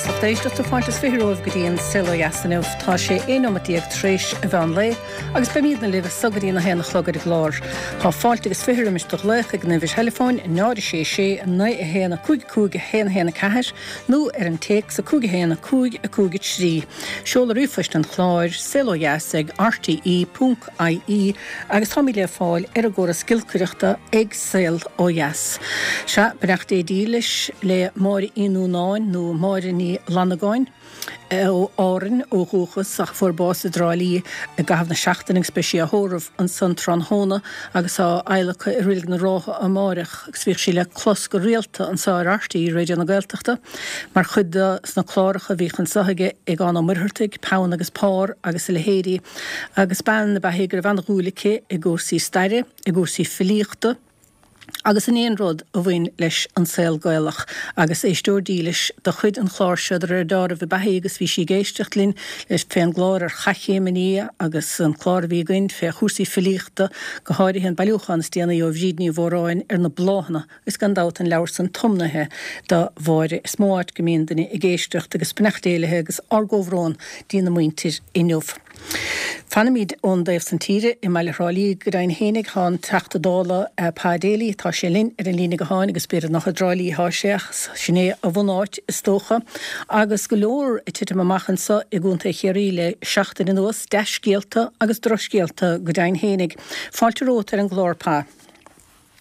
Agus lucht éisteachta, fáilte is 20 romhaibh go dtí an Saol Ó Dheas inniu. Tá sé 11 nóimeat tar éis an mheán lae agus beimídne libh as so go dtí an 1 a chlog ar an gclár. Tá fáilte agus 20 roimis do ghlaoch ag an uimhir theileafóin 0 6 6 9 1 5 5 1 1 4 nó ar an téacs 5 1 5 5 3. Seoladh ríomhphoist an chláir, saolodheas ag rte ponc ie agus táimid le fáil ar an gcóras giolcaireachta ag Saol Ó Dheas. Sea, beannacht Dé dílis le Máire Uí Núnáin nó Máire Ní Fhlannagáin, ó Árainn ó dhúchas ach a fuair bás i dTrá Lí i gcaitheamh na seachtaine agus beidh sí á thórramh ansan tráthnóna agus á adhlacadh i Reilig na Rátha amáireach agus bhíodh sí le clos go rialta anso ar RTÉ Raidió na Gaeltachta mar chuid de sna cláracha a bhíodh anso aige ag Eoghan Ó Muircheartaigh, Peann agus Pár agus a leithéidí. Agus bean ab ea í go raibh an-dhúil aici i gcúrsaí staire, i gcúrsaí filíochta agus in aon rud a bhain leis an saol Gaelach. Agus éisteoir dílis de chuid an chláir seo de réir deáraimh ab ea í agus bhí sí ag éisteacht linn fén gclár ar Chath Chéim an Fhia agus an clár a bhí againn fé chúrsaí filíochta, go háirithe an bailiúchán is déanaí ó Bhríd Ní Mhóráin ar na bláthanna. Is gan dabht an leabhar san tiomnaithe do Mháire. Is mó áit go mbíonn duine ag éisteacht agus beannacht Dé léi agus ár gcomhbhrón dtína muintir inniu. Fanaimid ón dtaobh san tíre i mbaile Thrá Lí go deimhin fhéinig. Tá an Teachta Dála Pa Daly, tá sé linn ar an líne gutháin agus b'fhéidir nach i dTrá Lí atá sé ach sin é a bhunáit is dócha. Agus go leor ag titim amach anso i gContae Chiarraí le seachtain anuas, dea-scéalta agus drochscéalta go deimhin fhéinig. Fáilte romhat ar an gclár Pa.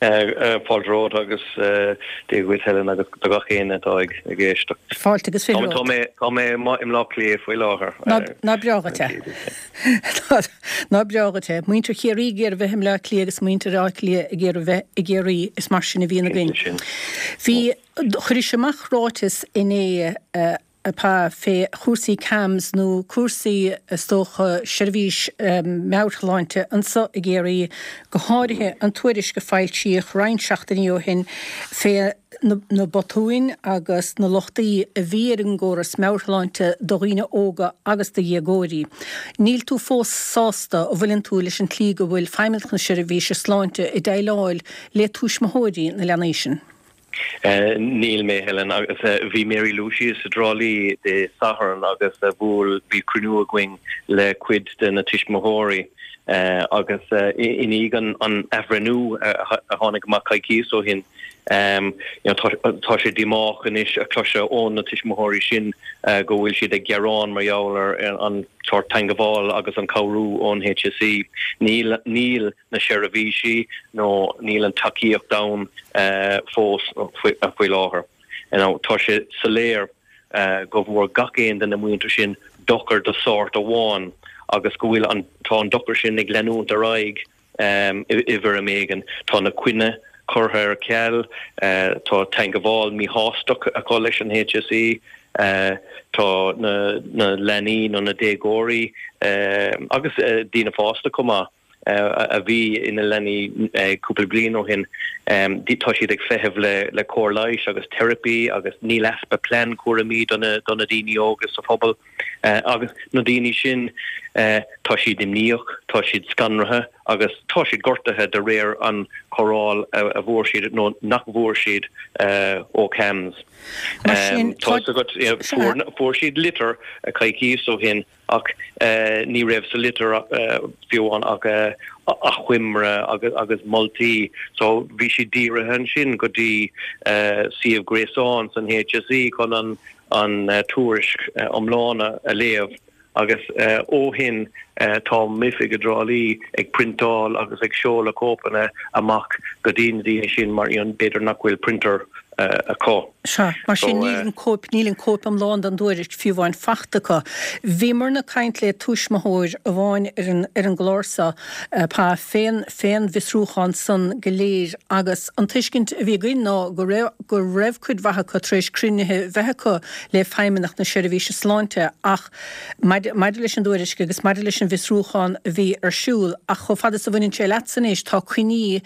Fáilte romhat agus Dia dhuit Helen agus do gach éinne atá ag éisteacht. Fáilte agus 20 romhat. Tá mé i mBleá Cliath faoi láthair. Ná breá dhuit é. Ná breá dhuit é. Muintir Chiarraí ag iarraidh bheith i mBleá Cliath agus muintir Átha Cliath ag iarraidh bheith i gCiarraí. Is mar sin a bhíonn againn. Bhí, chuiris amach ráiteas inné, a Pa, fé chúrsaí CAMHS nó cúrsaí, is dócha, seirbhís meabhairshláinte anso i gCiarraí, go háirithe an tuairisc a foilsíodh roinnt seachtainí ó shin fé na botúin agus na lochtaí a bhí ar an gcóras meabhairshláinte do dhaoine óga agus do dhéagóirí. Níl tú fós sásta, an bhfuileann tú, leis an tslí go bhfuil Feidhmeannacht na Seirbhíse Sláinte ag déileáil le tuismitheoirí na leanaí sin? Níl mé, Helen. Agus bhí Mary Lou síos i dTrá Lí Dé Sathairn agus bhuail, bhí cruinniú againn le cuid de na tuismitheoirí agus i ndiaidh an athbhreithniú a tháinig amach coicíos ó shin, tá sé díomách anois a chloiseadh ó na tuismitheoirí sin go bhfuil siad ag gearán mar gheall ar an sórt teangabháil agus an cabhrú ón HSE. Níl, níl. na seirbhísí nó níl an tacaíocht ann fós faoi láthair. Tá sé soiléir go bhfuair gach aon de na muintir sin dochar de shórt amháin agus go bhfuil an, tá an dochar sin ag leanúint ar aghaidh i bhfoirm éigin. Tá na coinní curtha ar ceal, tá teangabháil míshástach acu leis an HSE, tá na leanaí nó na déagóirí agus daoine fásta chomh maith, a bhí ina leanaí cúpla bliain ó shin, tá siad ag feitheamh le cóir leighis agus teiripí agus níl easpa plean cúraimí do na daoine óga sa phobal. Agus na daoine sin, tá siad imníoch, tá siad scanraithe agus tá siad gortaithe de réir an chóireáil a bhfuair siad nó nach bhfuair siad ó CAMHS. Mar sin, tá. Fuair siad litir coicíos ó shin Ach ní raibh sa litir fiú amháin ach achoimre agus moltaí. So bhí siad dírithe ansin go dtí suíomh gréasáin san HSE chun an tuairisc iomlán a léamh. Agus ó shin tá m'oifig i dTrá Lí ag priontáil agus ag seoladh cóipeanna amach go dtí na daoine sin mar b'fhéidir nach bhfuil printer acu. Sea, mar sin níl an cóip, níl an cóip iomlán den dtuairisc fiú amháin fachta acu. Bhíomarna ag caint le tuismitheoir amháin ar an, ar an gclár seo, Pa, fén, fén bhfiosrúchán san go léir agus an tuiscint a bhí againn ná go raibh, go raibh cuid mhaith acu tar éis cruinnithe bheith acu le Feidhmeannacht na Seirbhíse Sláinte ach maidir, maidir leis an dtuairisc agus maidir leis an bhfiosrúchán a bhí ar siúl ach chomh fada is a bhaineann sé leatsa anois tá coinní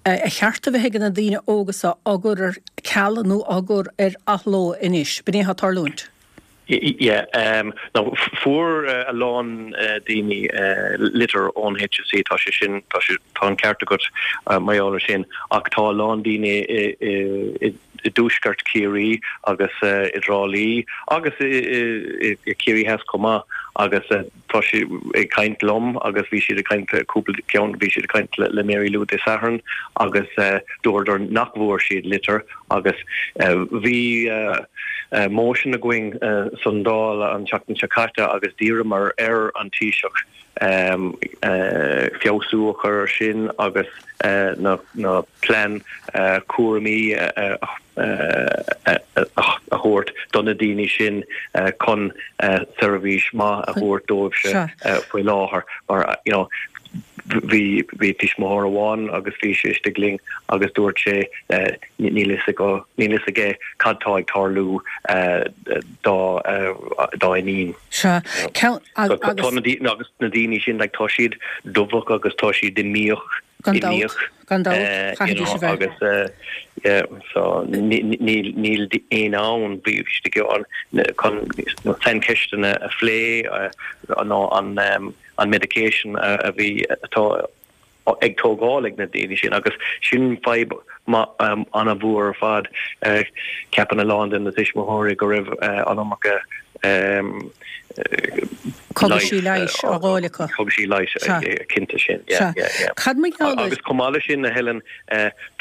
a cheart a bheith ag na daoine óga seo á gcur ar ceal nó á gcur ar athló anois. B'in é atá ag tarlúint. Yeah, now fuair a lán daoine litir ón HSE, tá sé sin, tá sé, tá an ceart agat mar gheall ar sin, ach tá a lán daoine i dtuaisceart Chiarraí agus i dTrá Lí agus i Ciarraí Theas chomh maith agus tá siad ag caint liom agus bhí siad ag caint le cúpla ceann, bhí siad ag caint le Mary Lou Dé Sathairn agus dúradar nach bhfuair siad litir agus bhí motion againn san Dáil an tseachtain seo caite agus d'iarramar ar an Taoiseach feabhsú a chur ar sin agus na plean cúraimí a thabhairt do na daoine sin chun seirbhís maith a thabhairt dóibhse faoi láthair mar you know bhí bhí tuismitheoir amháin agus bhí sé istigh linn agus dúirt sé níl fhios níl fhios aige cad tá ag tarlú dá dá iníon. Sea. Ceann agus. Tá na daoine agus na daoine sin like tá siad dubhach agus tá siad imníoch. Gan dabht, gan dabht, chaithfidís a bheith. Agus yeah so níl níl aon ann bhí istigh ann chun na saincheisteanna a phlé nó an an medication a bhí atá ag tógáil ag na daoine sin agus sin fadhb an-mhór ar fad. Ceapann a lán de na tuismitheoirí go raibh an iomarca Cogaisí leighis á bhfáil acu. Cogaisí leighis, cinnte sin, yeah, yeah, yeah. Cad mar gheall ar. Agus chomh maith leis sin, a Helen,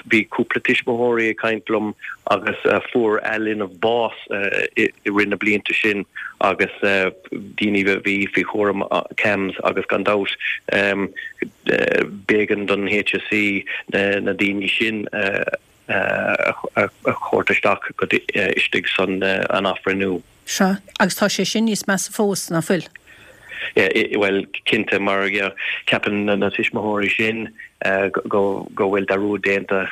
bhí cúpla tuismitheoirí ag caint liom agus fuair a linbh bás i rith na blianta sin agus daoine a bhí faoi chúram CAMHS agus gan dabht b'éigean don HSE na daoine sin a thabhairt isteach go istigh san an athbhreithniú. Sea, agus tá sé sin níos measa fós, ná fuil? Bhuel, cinnte, mar ceapann na tuismitheoirí sin go bhfuil dearúd déanta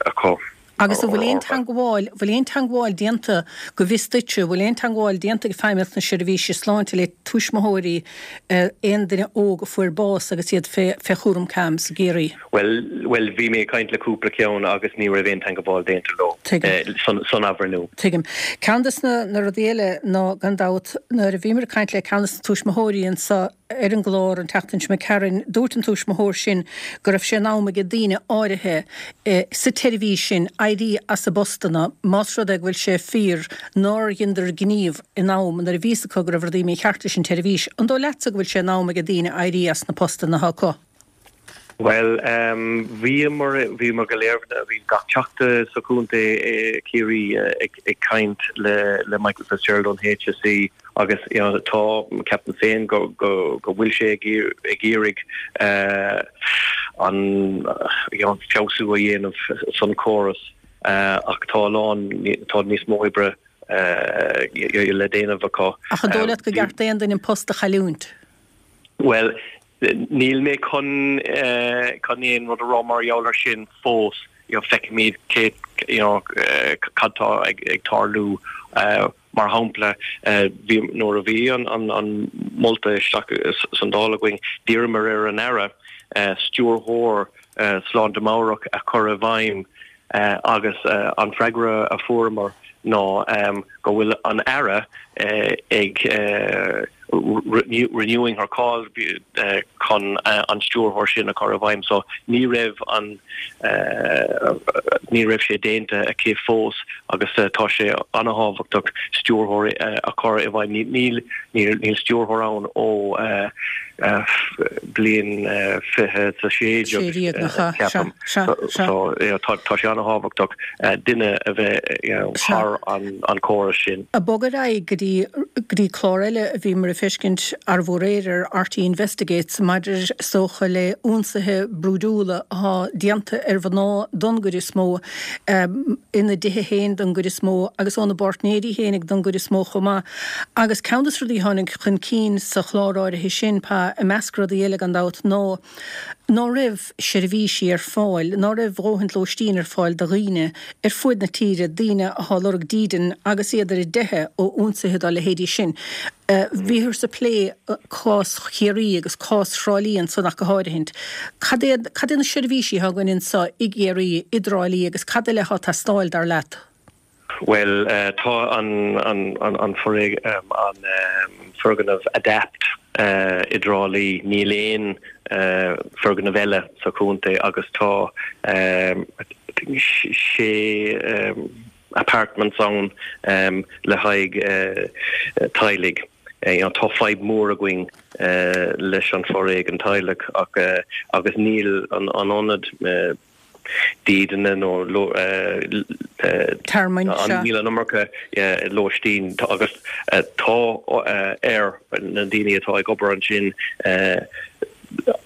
acu. Agus an bhfuil aon teangmháil, bhfuil aon teangmháil déanta, go bhfios duitse, bhfuil aon teangmháil déanta ag Feidhmeannacht na Seirbhíse Sláinte le tuismitheoirí aon duine óg a fuair bás agus iad fé, fé chúram CAMHS i gCiarraí? Bhuel, bhuel, bhí mé ag caint le cúpla ceann agus ní raibh aon teangmháil déanta leo Tuigim. san, san athbhreithniú. Tuigim. Ceann des na, na rudaí eile ná, gan dabht, nuair a bhíomar ag caint le ceann des na tuismitheoirí anso, Ar an gclár an tseachtain seo imigh tharainn, dúirt an tuismitheoir sin go raibh sé in am ag daoine áirithe sa tseirbhís sin éirí as a bpostanna más rud é go bhfuil sé fíor nár dheineadar gníomh in am nuair a bhí fhios acu go raibh rudaí mícheart leis an tseirbhís. An dóigh leatsa go bhfuil sé in am ag daoine éirí as na postanna atá acu? Bhuel, bhíomar, bhíomar go léir, bhí gach teachta sa chontae Ciarraí ag caint le le Michael Fitzgerald ón HSE agus you know tá, ceapaim féin go go go bhfuil sé ag ag iarraidh an you know feabhsú a dhéanamh san córas ach tá a lán, tá níos mó oibre le déanamh acu. Ach an dóigh leat gur ceart d'aon duine an post a chailliúint? Bhuel, Níl mé chun chun aon rud a rá mar gheall ar sin fós. You know, feicfimid cé you know, cad tá ag, ag tarlú. Mar shampla, bhí, nuair a bhí an, an, an molta isteach san Dáil againn, d'iarramar ar an Aire stiúrthóir sláinte meabhrach a chur i bhfeidhm agus an freagra a fuaireamar ná go bhfuil an Aire ag renewing her call chun an stiúrthóir sin a chur i bhfeidhm so ní raibh an ní raibh sé déanta aici fós agus tá sé an-thábhachtach stiúrthóir a chur i bhfeidhm. Níl níl stiúrthóir ann ó bliain 2016 ceapaim. So tá sé an-thábhachtach duine a bheith thar an córas sin. Ag bogadh ar aghaidh go dtí go dtí clár eile a bhíomar ag feiscint arbh aréir ar RTÉ Investigates maidir is dócha le ionsaithe brúidiúla athá déanta ar mhná don gcuid is mó ina dtithe féin don gcuid is mó agus óna bpáirtnéirí féinig don gcuid is mó chomh maith. Agus ceann des rudaí a tháinig chun cinn sa chlár áirithe sin, Pa, i measc rudaí eile gan dabht, ná ná raibh seirbhísí ar fáil, ná raibh dhóthaint lóistín ar fáil do dhaoine ar fuaid na tíre, daoine athá ag lorg dídean agus iad ar a dteitheadh ó ionsaithe dá leithéidí sin. Bhíothas ag plé cás Chiarraí agus cás Thrá Lí ansan ach go háirithint. Cad é, cad é na seirbhísí atá againn anso i gCiarraí, i dTrá Lí agus cad eile athá ag teastáil, dar leat? Bhuel, tá an foirgneamh Adapt i dTrá Lí. Níl aon foirgneamh eile sa chontae agus tá sé apartments ann le haghaidh teaghlaigh. Tá fadhb mhór againn leis an foréigean teaghlaigh agus níl an ionad dídine nó tearmainn, sea. Níl an iomarca lóistín agus tá ar na daoine atá ag obair ansin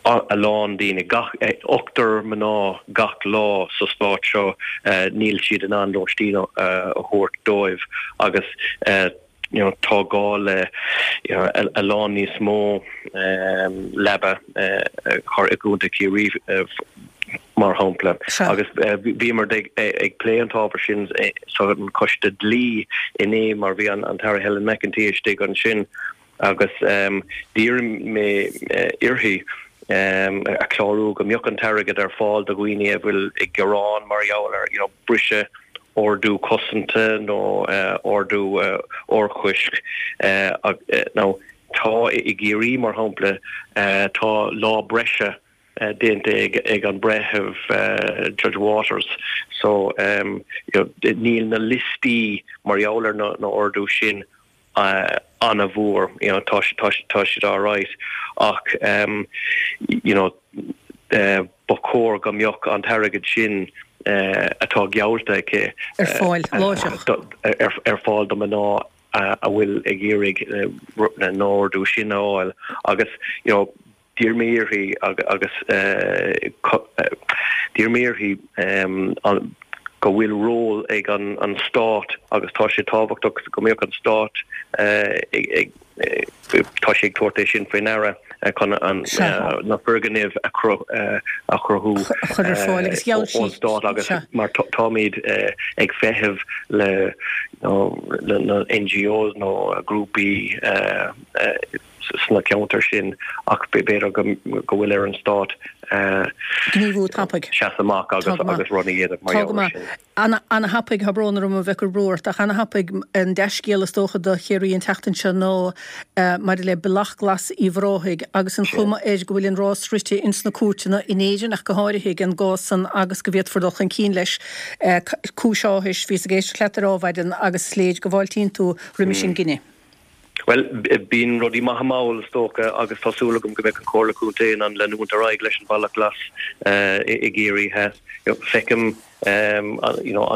a lán daoine, gach ochtar mná gach lá sa stát seo, níl siad in ann lóistín a thabhairt dóibh agus you know tá gá le you know a lán níos mó leaba a chur i gContae Chiarraí mar shampla. Agus bhíomar ag plé an t-ábhar sin sa choiste dlí inné mar bhí an tAire Helen McEntee istigh ansin agus d'iarr mé uirthi a chlárú go mbeadh an t-airgead ar fáil do dhaoine a bhfuil ag gearán mar gheall ar you know briseadh ordú cosanta nó ordú urchoisc. Now tá i gCiarraí mar shampla tá lá breise déanta ag an breitheamh Judge Waters so you know níl na liostaí mar gheall ar na ordú sin an-mhór, you know, tá tá tá siad alright ach you know ba chóir go mbeadh an t-airgead sin atá geallta aici ar fáil láithreach. ar fáil do mná a bhfuil ag iarraidh na ordú sin a fháil agus you know D'iarr mé uirthi agus d'iarr mé uirthi go bhfuil ról ag an Stát agus tá sé tábhachtach go mbeadh an Stát ag, tá sé ag tabhairt é sin faoi ndeara chun na foirgnimh a chruthú ón Stát agus mar táimid ag feitheamh le na NGOs nó grúpaí sna ceantair sin ach b'fhéidir go bhfuil ar an Stát gníomhú tapaidh. seasamh amach agus agus rud a dhéanamh mar gheall air sin. Ana-thapaidh, tá brón orm a bheith ag cur brú ort, ach ana-thapaidh an dea-scéal is dócha do Chiarraí an tseachtain seo ná maidir le Bealach Glas Uíbh Ráthaigh agus an chuma air go bhfuil an rás rite ins na cúirteanna in Éirinn ach go háirithe ag an gcás san agus go bhféadfar dul chun cinn leis. Cúis áthais, bhíos ag éisteacht leat ar Adhmhaidin agus is léir go bhfáiltíonn tú roimis an gcinneadh. Bhuel, bíonn rudaí maithe mall, is dócha, agus tá súil agam go mbeidh an Chomhairle Contae in ann leanúint ar aghaidh leis an Bhealach Glas i gCiarraí Theas. Feicim, you know,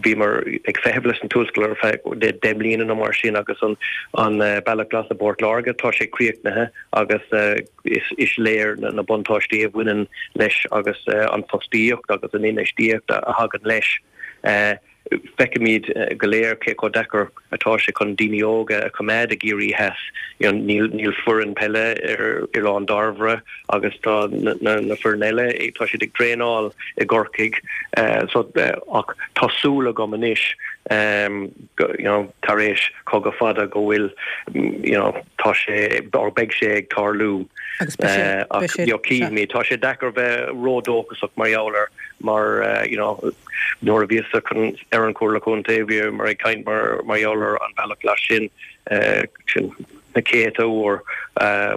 bhíomar ag feitheamh leis an tuarascáil ar feadh 10 mbliana nó mar sin agus an Bealach Glas i bPort Láirge, tá sé críochnaithe agus is léir na buntáistí a bhaineann leis agus an fostaíocht agus an infheistíocht a thagann leis. Feicimid go léir cé chomh deacair atá sé chun daoine óga a choimeád i gCiarraí Theas. Níl foireann peile ar Oileán Dairbhre agus tá na foireann eile, tá siad ag traenáil i gCorcaigh. So, ach tá súil agam anois, you know, tar éis cogadh fada go bhfuil, you know, tá sé, or beidh sé ag tarlú. Agus beidh sé, beidh sé, Ach, you know, cífimid. Tá sé deacair bheith ródhóchasach mar gheall air mar, you know, Nuair a bhíos-sa ar an Chomhairle Contae bhíomar ag caint mar gheall ar an Bhealach Glas sin, sin na céadta uair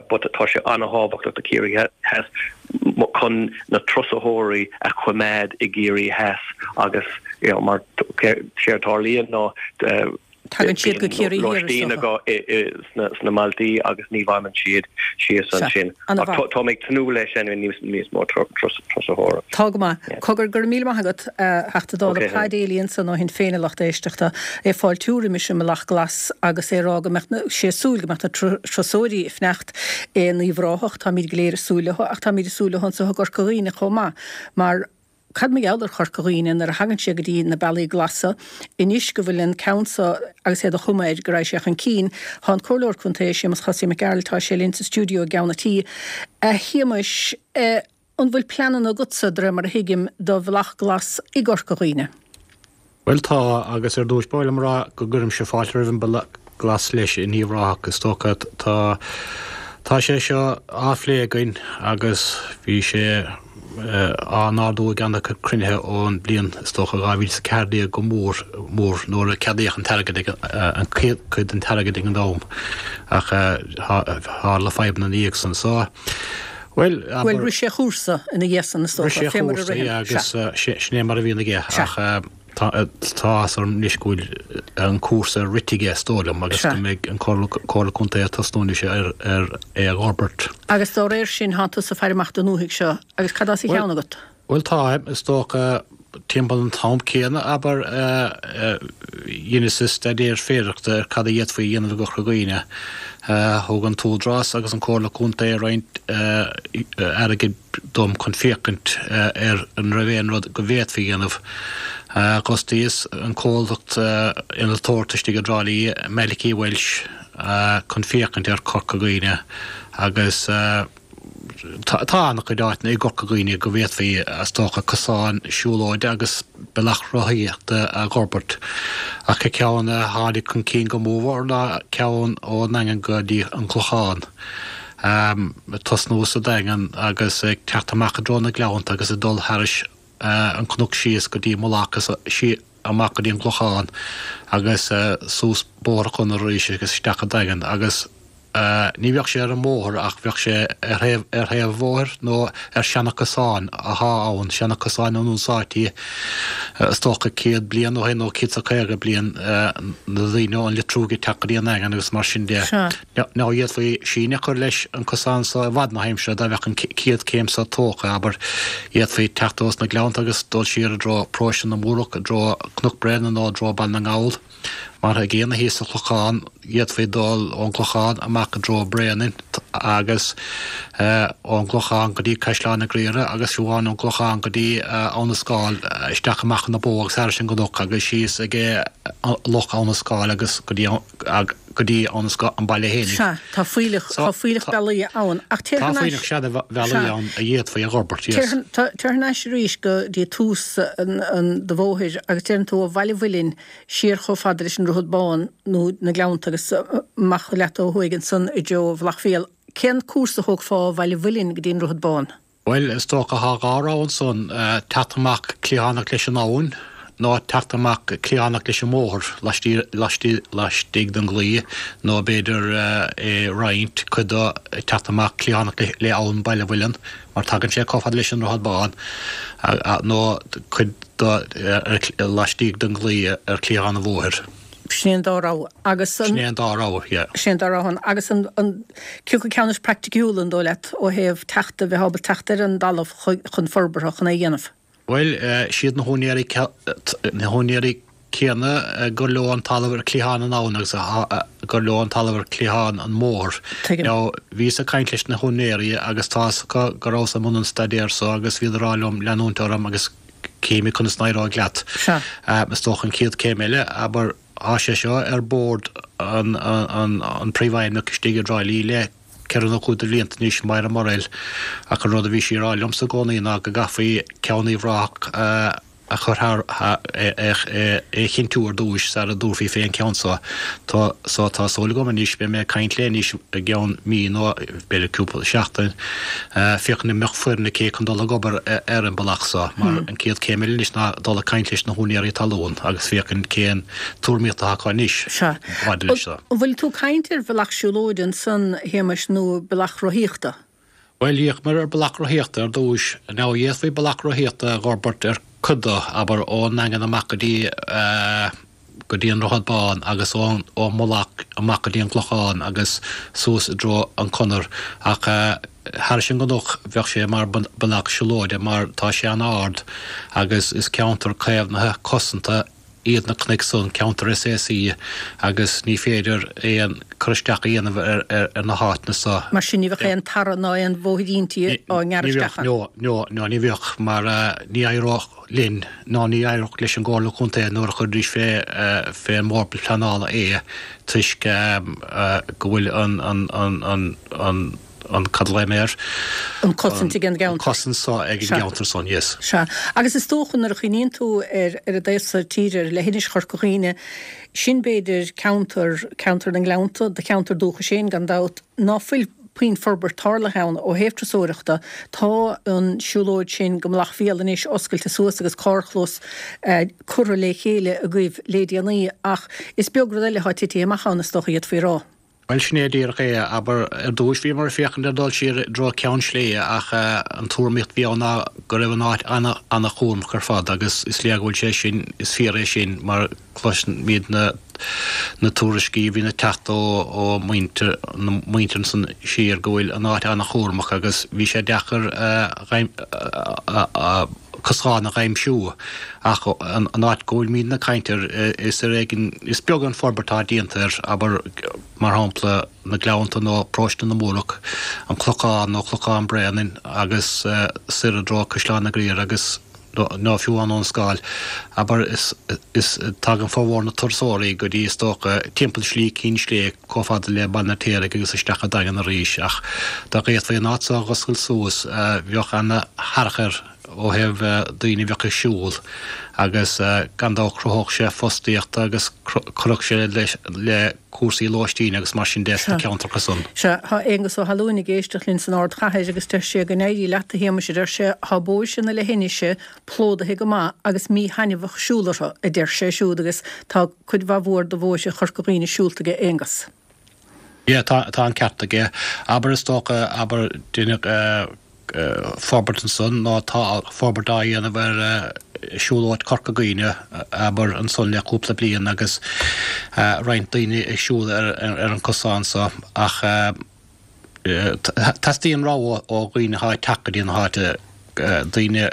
but tá sé an-thábhachtach do Chiarraí Theas chun na turasóirí a choimeád i gCiarraí Theas agus you know mar séard a tharlaíonn ná Tagann siad go Ciarraí Thiar, is dócha. Lóistín sna mbailtí agus ní bhfanann siad síos ansin. Ach tá mé ag tnúth leis anyway níos mó turasóireacht. Tá go maith. Cogar, go raibh míle maith agat, a Theachta Dála Paddy Daly ansan ó Shinn Féin a lucht éisteachta, ag fáiltiú roimis an mBealach Glas agus é ag rá go mbeadh sé ag súil go mbeadh na turasóirí ag fanacht in Uíbh Ráthach, táimid go léir ag súil leo ach táimid ag súil leo anso i gCorca Dhuibhne chomh maith mar Cad mar gheall ar Chorca Dhuibhne nuair a thagann sé go dtí na bealaí glasa, anois go bhfuil an ceann so agus é de chuma air go raghaidh sé chun cinn. Tá an Comhairleoir Contae, Séamus Chosaí Mac Gearailt, tá sé linn sa stiúideo i gceann an tí. A Shéamuis, an bhfuil pleananna agatsa, de réir mar a thuigim, do bhealach glas i gCorca Dhuibhne? Bhuel tá, agus ar dtúis ba mhaith liom a rá go gcuirimse fáilte roimh an Bealach Glas leis in Uíbh Ráthach. Is dócha tá tá sé seo á phlé againn agus bhí sé. á n-ardú ag an-chuid cruinnithe ón bliain, is dócha, 2014 go mór mór nuair a ceadaíodh an t-airgead ag an chéad chuid den t-airgead ag an am ach tharla fadhbanna ina dhiaidh san. So, bhuel, abair. Bhuel, rith sé a chúrsa ina dhiaidh san, is dócha, Rith sé a fé mar a chúrsa, ritheann. yeah, Sea. agus sin é mar a bhíonn aige Sea. ach Tá áthas orm anois go bhfuil an cúrsa rite aige, is dóigh liom, agus go mbeidh an Comhairle Contae ag tosnú anois ar é a dh'fhorbairt. Agus dá réir sin, thánn tusa ag faire amach don ndúthaigh seo, agus cad as a cheann agat? Bhuel, táim, is dócha, timpeall an t-am céanna, abair, dheineas-sa staidéar féidearthachta ar cad a d'fhéadfaí a dhéanamh i gCorca Dhuibhne. Thug an tÚdarás agus an Comhairle Contae roinnt airgid dom chun féachaint ar an raibh aon rud go bhféadfaí a dhéanamh. D'fhostaíos an comhlacht innealtóireachta istigh i dTrá Lí, Malachy Walsh, chun féachaint ar Chorca Dhuibhne agus tá an-chuid áiteanna i gCorca Dhuibhne go bhféadfaí, is dócha, cosán siúlóide agus bealach rothaíochta a dh'fhorbairt. Ach an ceann a tháinig chun cinn go mórmhór ná ceann ón nDaingean go dtí an Clochán. ag tosnú sa Daingean agus ag teacht amach i dtreo na Gleannta agus ag dul thairis an cnoc síos go dtí Mullach agus amach go dtí an gClochán agus suas Bóthar an Chonaire arís agus isteach an Daingean agus ní bheadh sé ar an mbóthar ach bheadh sé ar thaobh ar thaobh an bhóthair nó ar seana-chosáin athá ann, seana-chosáin a d'úsáidtí is dócha 100 bliain ó shin nó 150 bliain na daoine ón Leitriúig ag teacht go dtí an Daingean agus mar sin de. Sea. Now d'fhéadfaí síneadh a chur leis an cosán so i bhfad na haimsire dá mbeadh an chéad chéim so tógtha, abair. D'fhéadfaí teacht ós na Gleannta agus dul siar i dtreo Paróiste na Múrach, i dtreo Cnoc Bréanainn nó i dtreo Baile na nGall. Mar an gcéanna thíos sa Chlochán, d'fhéadfaí dul ón gClochán amach i dtreo Bréanainn agus ón gClochán go dtí Caisleán an Ghriaire agus fiú amháin ón gClochán go dtí Abha na Scáil, isteach amach Abha na Bó agus thairis an gcnoc agus síos ag Loch Abha na Scáil agus go dtí go dtí an baile fhéinig. Sea, tá fuílleach, tá fuílleach bealaí ann. Ach téir Tá thar n-ais. fuílleach sea de bhealaí Sea. ann a d'fhéadfaí a dh'fhorbairt, yes. Téir, téir thar n-ais arís go dtí tús an, an, do bhóthair agus deireann tú ó Bhaile Mhuilinn siar chomh fada leis an Droichead Bán nó na Gleannta agus amach leat ó thuaidh ansan i dtreo Mhullach Fiail. Cén cúrsa a thógfá ó Bhaile Mhuilinn go dtí an Droichead Bán? Bhuel, is dócha thá dhá rogha ansan, teacht amach cliathánach leis an abhainn nó teacht amach cliathánach leis an mbóthar laistigh den gclaí nó b'fhéidir é roinnt, cuid de ag teacht amach cliathánach le abhainn Baile Mhuilinn mar tagann sé chomh fada leis an Droichead Bán nó cuid de laistigh den gclaí ar chliathán an bhóthair. Sin é an dá rogha. Agus an. Sin é an dá rogha, yeah. Sin é an dá rogha ann. Agus an, an, cé acu ceann is praiticiúla, an dóigh leat, ó thaobh teacht, a bheith ábalta teacht ar an dtalamh chun forbartha, chun é a dhéanamh? Bhuel, siad na húinéirí, na húinéirí céanna gur leo an talamh ar chliathán an abhann agus gur leo an talamh ar chliathán an mbóthair. Tuigim. Now, bhíos ag caint leis na húinéirí agus tá fhios acu go rabhas i mbun an staidéir so agus bhíodar ag rá liom leanúint orm agus Cífimid conas a n-éireoidh leat. Sea. Is dócha an chéad céim eile, abair, tá sé seo ar bord an an príomhfheidhmeannach istigh i dTrá Lí le ceithre nó cúig de bhlianta anois, Máire Murrell, ach an rud a bhí sí a rá liomsa i gcónaí ná go gcaithfí ceann Uíbh Ráthach a chur thar, é a chinntiú ar dtúis sara dtabharfaí fé an ceann seo. Tá so tá súil agam anois, beidh mé ag caint léi anois i gceann mí nó b'fhéidir cúpla seachtain, féachaint an mbeadh foireann aici chun dul ag obair ar an bealach so, mar an chéad chéim eile anois ná dul ag caint leis na húinéirí talún agus féachaint cén tuairimíocht atá acu anois Sea. maidir leis seo. An bhfuil tú ag caint ar bhealach siúlóide ansan, a Shéamais, nó bealach rothaíochta? Bhuel, d'fhéachamar ar bealach rothaíochta ar dtúis. Now, d'fhéadfaí bealach rothaíochta a dh'fhorbairt ar cuid de, abair, ón nDaingean amach go dtí, go dtí an Droichead Bán agus ón, ón Mullach amach go dtí an Clochán agus suas i dtreo an Chonair. Ach thairis an gcnoc, bheadh sé mar bealach siúlóide mar tá sé an-ard agus is ceantar caomhnaithe, cosanta, iad na cnoic san, ceantar SAC, agus ní féidir aon cur isteach a dhéanamh ar na háiteanna so. Mar sin ní bheadh aon tarra ná aon bhóithríntí á ngearradh isteach ann? No, no, no, ní bheadh, mar ní éireodh linn ná ní éireodh leis an gComhairle Contae nuair a chuiridís fé fé an mBord Pleanála é toisc go bhfuil an, an, an, an, an, an, cad a ghlaoim air? An cosaint ag an An gceantar. cosaint so ag an gceantar san, yes. Sea. Agus is dócha nuair a chuimhníonn tú ar ar an dtaobh so tíre, ar leithinis Chorca Dhuibhne, sin b'fhéidir ceantar, ceantar na nGleannta, do cheantar dúchais féin gan dabht, ná fuil. puinn forbairt tarlaithe ann ó thaobh turasóireachta. Tá an siúlóid sin go Mullach Fial anois oscailte suas agus carrchlós curtha le chéile agaibh le déanaí ach is beag rud eile atá titithe amach ann is dócha d'fhéadfaí a rá. Bhuel, sin é díreach é. Abair, ar dtúis bhíomar ag féachaint ar dul siar i dtreo Ceann Sléibhe ach an tuairimíocht a bhí ann ná go raibh an áit ana-chúramach ar fad agus is léir go bhfuil sé sin, is fíor é sin mar cloisimid na na tuairiscí a bhíonn ag teacht ó ó muintir na muintir ansan siar go bhfuil an áit ana-chúramach agus bhí sé deacair cosán a dh'aimsiú ach an áit go bhfuilimidne ag caint air is ar éigean, is beag an forbairt atá déanta air, abair mar shampla na Gleannta nó Paróiste na Múrach, an Clochán nó Clochán Bréanainn agus soir i dtreo Caisleán na gCriar agus nó fiú amháin Abhainn an Scáil, abair is is tagann formhór na turasóirí go dtí is dócha timpeall Slí Cinn Sléibhe chomh fada le Baile an Fheirtéaraigh agus isteach an Daingean arís ach dá bhféadfaí an áit so a dh'oscailt suas bheadh ana-tharchur ó thaobh daoine a bheadh ag siúl agus gan dabht chruthódh sé fostaíocht agus chuirfeadh sé leis le cúrsaí lóistín agus mar sin de sna ceantracha san. Sea, tá Aonghus Ó hAlúin ag éisteacht linn san ardchathair agus deir sé go n-éirí leat a Shéamais a deir sé, tá bóithre na leithinise plódaithe go maith agus míthaitneamhach siúl orthu, a deir sé siúd agus tá cuid mhaith mhór de bhóithre Chorca Dhuibhne siúlta aige Aonghus. Yeah, tá, tá an ceart aige. Abair is dócha, abair, deineadh forbairt ansan nó tá forbairt á dhéanamh ar siúlóid Chorca Dhuibhne, abair, ansan le cúpla bliain agus roinnt daoine ag siúl ar an cosán so ach teastaíonn rogha ó dhaoine atá ag teacht go dtí na háite, daoine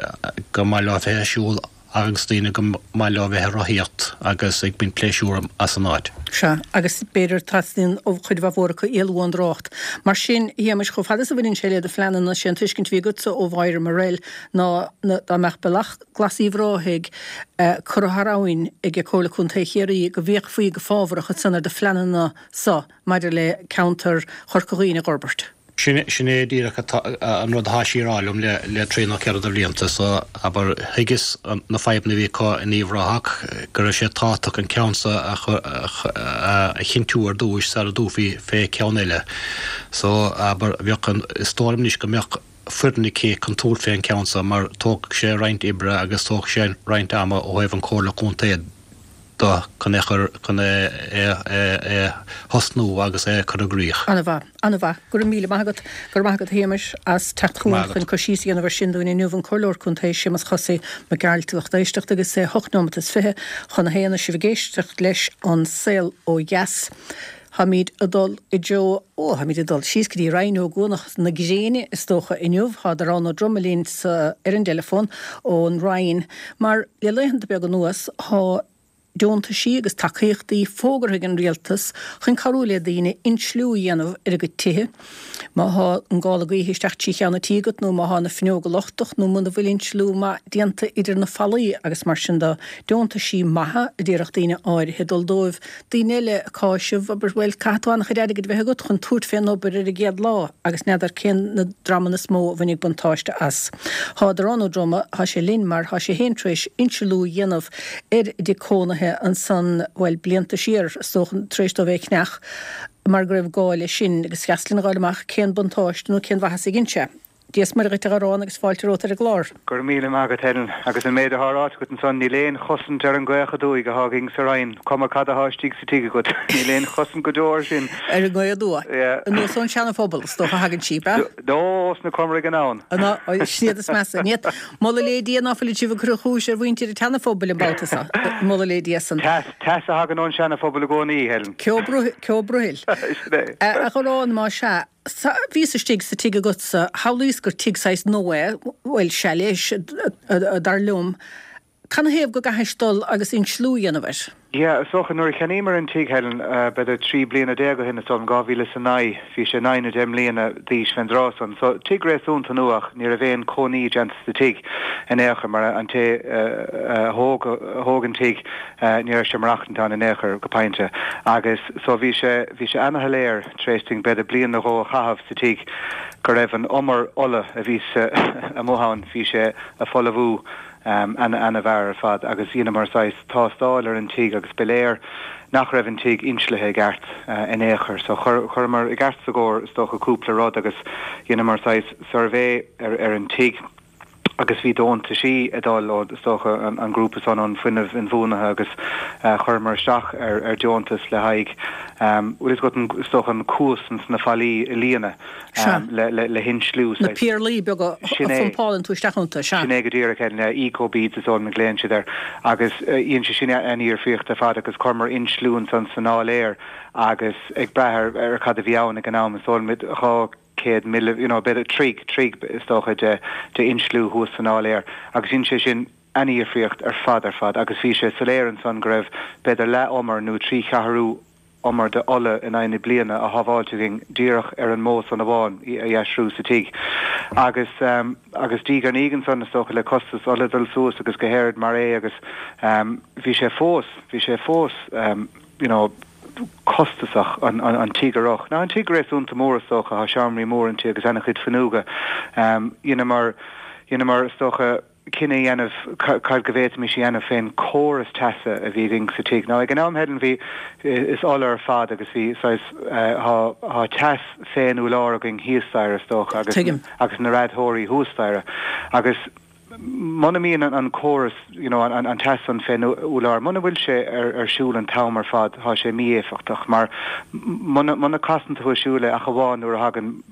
gur maith leo bheith ag siúl agus daoine gur maith leo bheith ag rothaíocht agus ag baint pléisiúr as an áit. Sea, agus b'fhéidir teastaíonn ó chuid mhaith mhór acu éalú ón dtrácht. Mar sin, a Shéamais, chomh fada is a bhaineann sé le do phleananna, sé an tuiscint a bhí agatsa ó Mháire Morrell ná dá mbeadh Bealach Glas Uíbh Ráthaigh curtha thar abhainn ag Comhairle Contae Chiarraí go bhféachfaí go fábharach ansan ar do phleananna so maidir le ceantar Chorca Dhuibhne a dh'fhorbairt. Sin é díreach an rud atá sí a rá liom le trí nó ceithre de bhlianta so, abair, thuigeas na fadhbanna a bhí acu in Uíbh Ráthach, go raibh sé tábhachtach an ceann so a chinntiú ar dtúis sara dtabharfaí fé cheann eile. So, abair, bheadh an, is dóigh liom anois go mbeadh foireann aici chun tabhairt fé an ceann so mar tógfaidh sé roinnt oibre agus tógfaidh sé roinnt ama ó thaobh an Chomhairle Contae de chun é chur, chun é a thosnú agus é a chur i gcrích. An-mhaith. An-mhaith. Go raibh míle maith agat. Go raibh maith agat a Shéamais as teacht chugainn chun cur síos a dhéanamh ar sin dúinn inniu. An Comhairleoir Contae Séamus Chosaí Mac Gearailt lucht éisteachta agus é hocht neomat is 20 chun a haon is sibh ag éisteacht leis An Saol Ó Dheas. Táimid ag dul i dtreo, ó, táimid ag dul síos go dtí Rinn Ó gCuanach na gréine is dócha inniu. Tá Darán Ó Droma linn sa, ar an dteileafón ón Rinn mar le laethanta beaga anuas tá deontaisí agus tacaíochtaí fógartha ag an rialtas chun cabhrú le daoine insliú a dhéanamh ar a gcuid tithe. Má thá an gála gaoithe isteach trí cheann an tí agat nó má thá na fuinneoga lochtach nó muna bhfuil insliú maith déanta idir na fallaí agus mar sin de. Deontaisí maithe a déarfadh daoine áirithe dul dóibh. Daoine eile ag cáiseamh, abair, bhuel, caithfidh tú an-chuid airgid a bheith agat chun tabhairt fén obair ar an gcéad lá agus n'fheadar cén na dreamanna is mó a bhainfidh buntáiste as. Thá Darán Ó Droma, thá sé linn mar thá sé féin tar éis insliú a dhéanamh ar a dtigh cónaithe ansan, bhuel, blianta siar, is dócha, tar éis dó bheith ag ceannach mar go raibh gá leis sin agus is deas linn a dh'fháil amach cén buntáiste nó cén mhaitheas a dhein sé. Dia is Muire dhuit a Dharáin agus fáilte romhat ar an gclár. Go raibh míle maith agat Helen. Agus an méid athá ráite agat ansan, níl aon chosaint ar an ngaoth aduaidh athá againn sa Rinn, cuma cad athá istigh sa tigh agat. Níl aon chosaint go deo air sin. Ar an ngaoth aduaidh. Yeah. Anuas ón Seana-Phobal, is dócha, a thagann sí, ab ea? No, ós na Comaraigh anonn. Sin iad is measa. Ní Moladh lé Dia ná fuilid sibh ag cur an chúis ar mhuintir an tSeana-Phobail an babhta so. Moladh lé Dia san. Teas, teas a thagann ón Seana-Phobal i gcónaí, Helen. Ceo brothaill. Sin é. A Dharáin, más ea, Bhíos istigh sa tigh agatsa, shamhlaíos gur tigh saghas nua é, bhuel, chailleas, dar liom. Canathaobh go gcaithfis dul agus insliú a dhéanamh air? Yeah, is dócha, nuair a cheannaíomar an tigh, Helen, b'fhéidir 13 bliana ó shin, is dóigh liom, 2009, bhí sé naoi nó deich mbliana d'aois fén dtráth san. So, tigh réasúnta nua ach ní raibh aon cónaí déanta sa tigh in aon chor mar an té a thóg, a thóg an tigh, ní raibh sé ag maireachtaint ann in aon chor, go pointe. Agus so bhí sé, bhí sé ana-shoiléir, tar éis dúinn b'fhéidir bliain nó dhó a chaitheamh sa tigh, go raibh an umar ola a bhí amuigh ann, bhí sé a' folmhú ana-mhear ar fad agus dheineamar saghas tástáil ar an tigh agus. agus ba léir nach raibh an tigh inslithe i gceart in aon chor. So chuireamar i gceart is a gcóir is dócha cúpla rud agus dheineamar saghas suirbhé ar an tigh agus bhí deontaisí ag dul ó is dócha an grúpa san ón fuinneamh inbhuanaithe agus chuireamar isteach ar deontas le haghaidh bhfuil fhios agat is dócha an cuas ins na fallaí a líonadh le hinsliú. Na péarlaí beaga a phumpálann tú isteach iontu, sea. Sin é go díreach, eco beads is dóigh liom a ghlaonn siad air. Agus dhein sé sin an-difríocht ar fad agus chuireamar insliú ansan san áiléar agus ag brath ar cad a bhí ann ag an am is dóigh liom 200 mile, you know, b'fhéidir troigh, troigh is dócha de insliú thuas san áiléar agus dhein sé sin an-difríocht ar fad ar fad agus bhí sé soiléir ansan go raibh b'fhéidir leath umar nó 3/4 umar de ola in aghaidh na bliana á shábháilt againn díreach ar an modh san amháin a dheisiú sa tigh. Agus agus diaidh ar ndiaidh ansan is dócha le costas ola dul suas agus go háirid mar é agus bhí sé fós, bhí sé fós you know costasach an an tigh a rith. Now an tigh réasúnta mór is dócha, tá seomraí mór inti agus ana-chuid fuinneoga. Dheineamar, dheineamar is dócha, cinneadh a dhéanamh cad go bhféadfaimis a dhéanamh fén córas teasa a bhí againn sa tigh. Now ag an am Helen bhí, is ola ar fad agus bhí saghas, thá, thá teas fén úlár againn thíos staighre is dócha agus, Tuigim. agus na radóirí thuas staighre agus muna mbíonn an córas, you know, an teas san fén úlár, muna bhfuil sé ar, ar siúl an t-am ar fad thá sé mí-éifeachtach mar muna, muna casann tú ar siúl é ach amháin nuair a thagann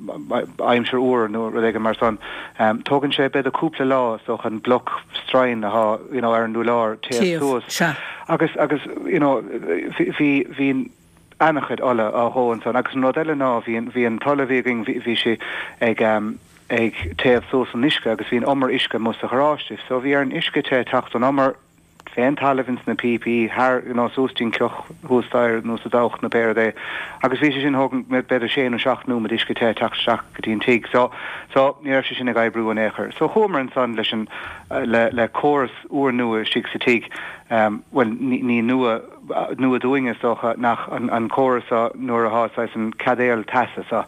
aimsir fhuar nó rud éigin mar san, Tógann sé b'fhéidir cúpla lá is dócha an bloc stroighne athá you know ar an úlár téamh suas. Sea. Agus agus you know bhí bhí an-chuid ola á dhó ansan agus an rud eile ná bhí an bhí an t-ola a bhí againn bhí bhí sé ag ag téamh suas an uisce agus bhí an umar uisce amuigh sa gharáiste so bhí ar an uisce te teacht ón umar fén talamh ins na píopaí thar you know suas dtí'n cloch thuas staighre nó sa dabhach nó pé rud é agus bhí sé sin thóg b'fhéidir sé nó seacht nóiméad uisce te teacht isteach go dtí an tigh so so ní raibh sé sin ag oibriú in aon chor. So chuamar ansan leis an le le córas úrnua istigh sa tigh um bhuel ní ní nua nua dúinn is dócha nach an an córas seo nuair athá saghas an caidéal teasa so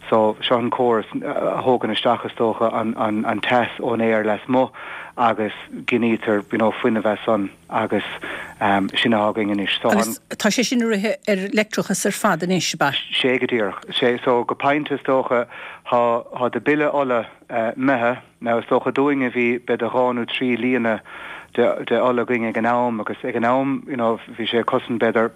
so seo an córas a thógann isteach is dócha an an an teas ón aer lasmuigh agus ginítear you know fuinneamh as san agus sin athá againn anois. So an. Agus tá sé sin ag rith ar leictreachas ar fad anois, ab ea? Sé go díreach. Sé so go pointe is dócha thá thá do bille ola imithe. Now is dócha dúinne bhí b'fhéidir dhá nó trí líonadh de de ola againn ag an am agus ag an am you know bhí sé ag cosaint b'fhéidir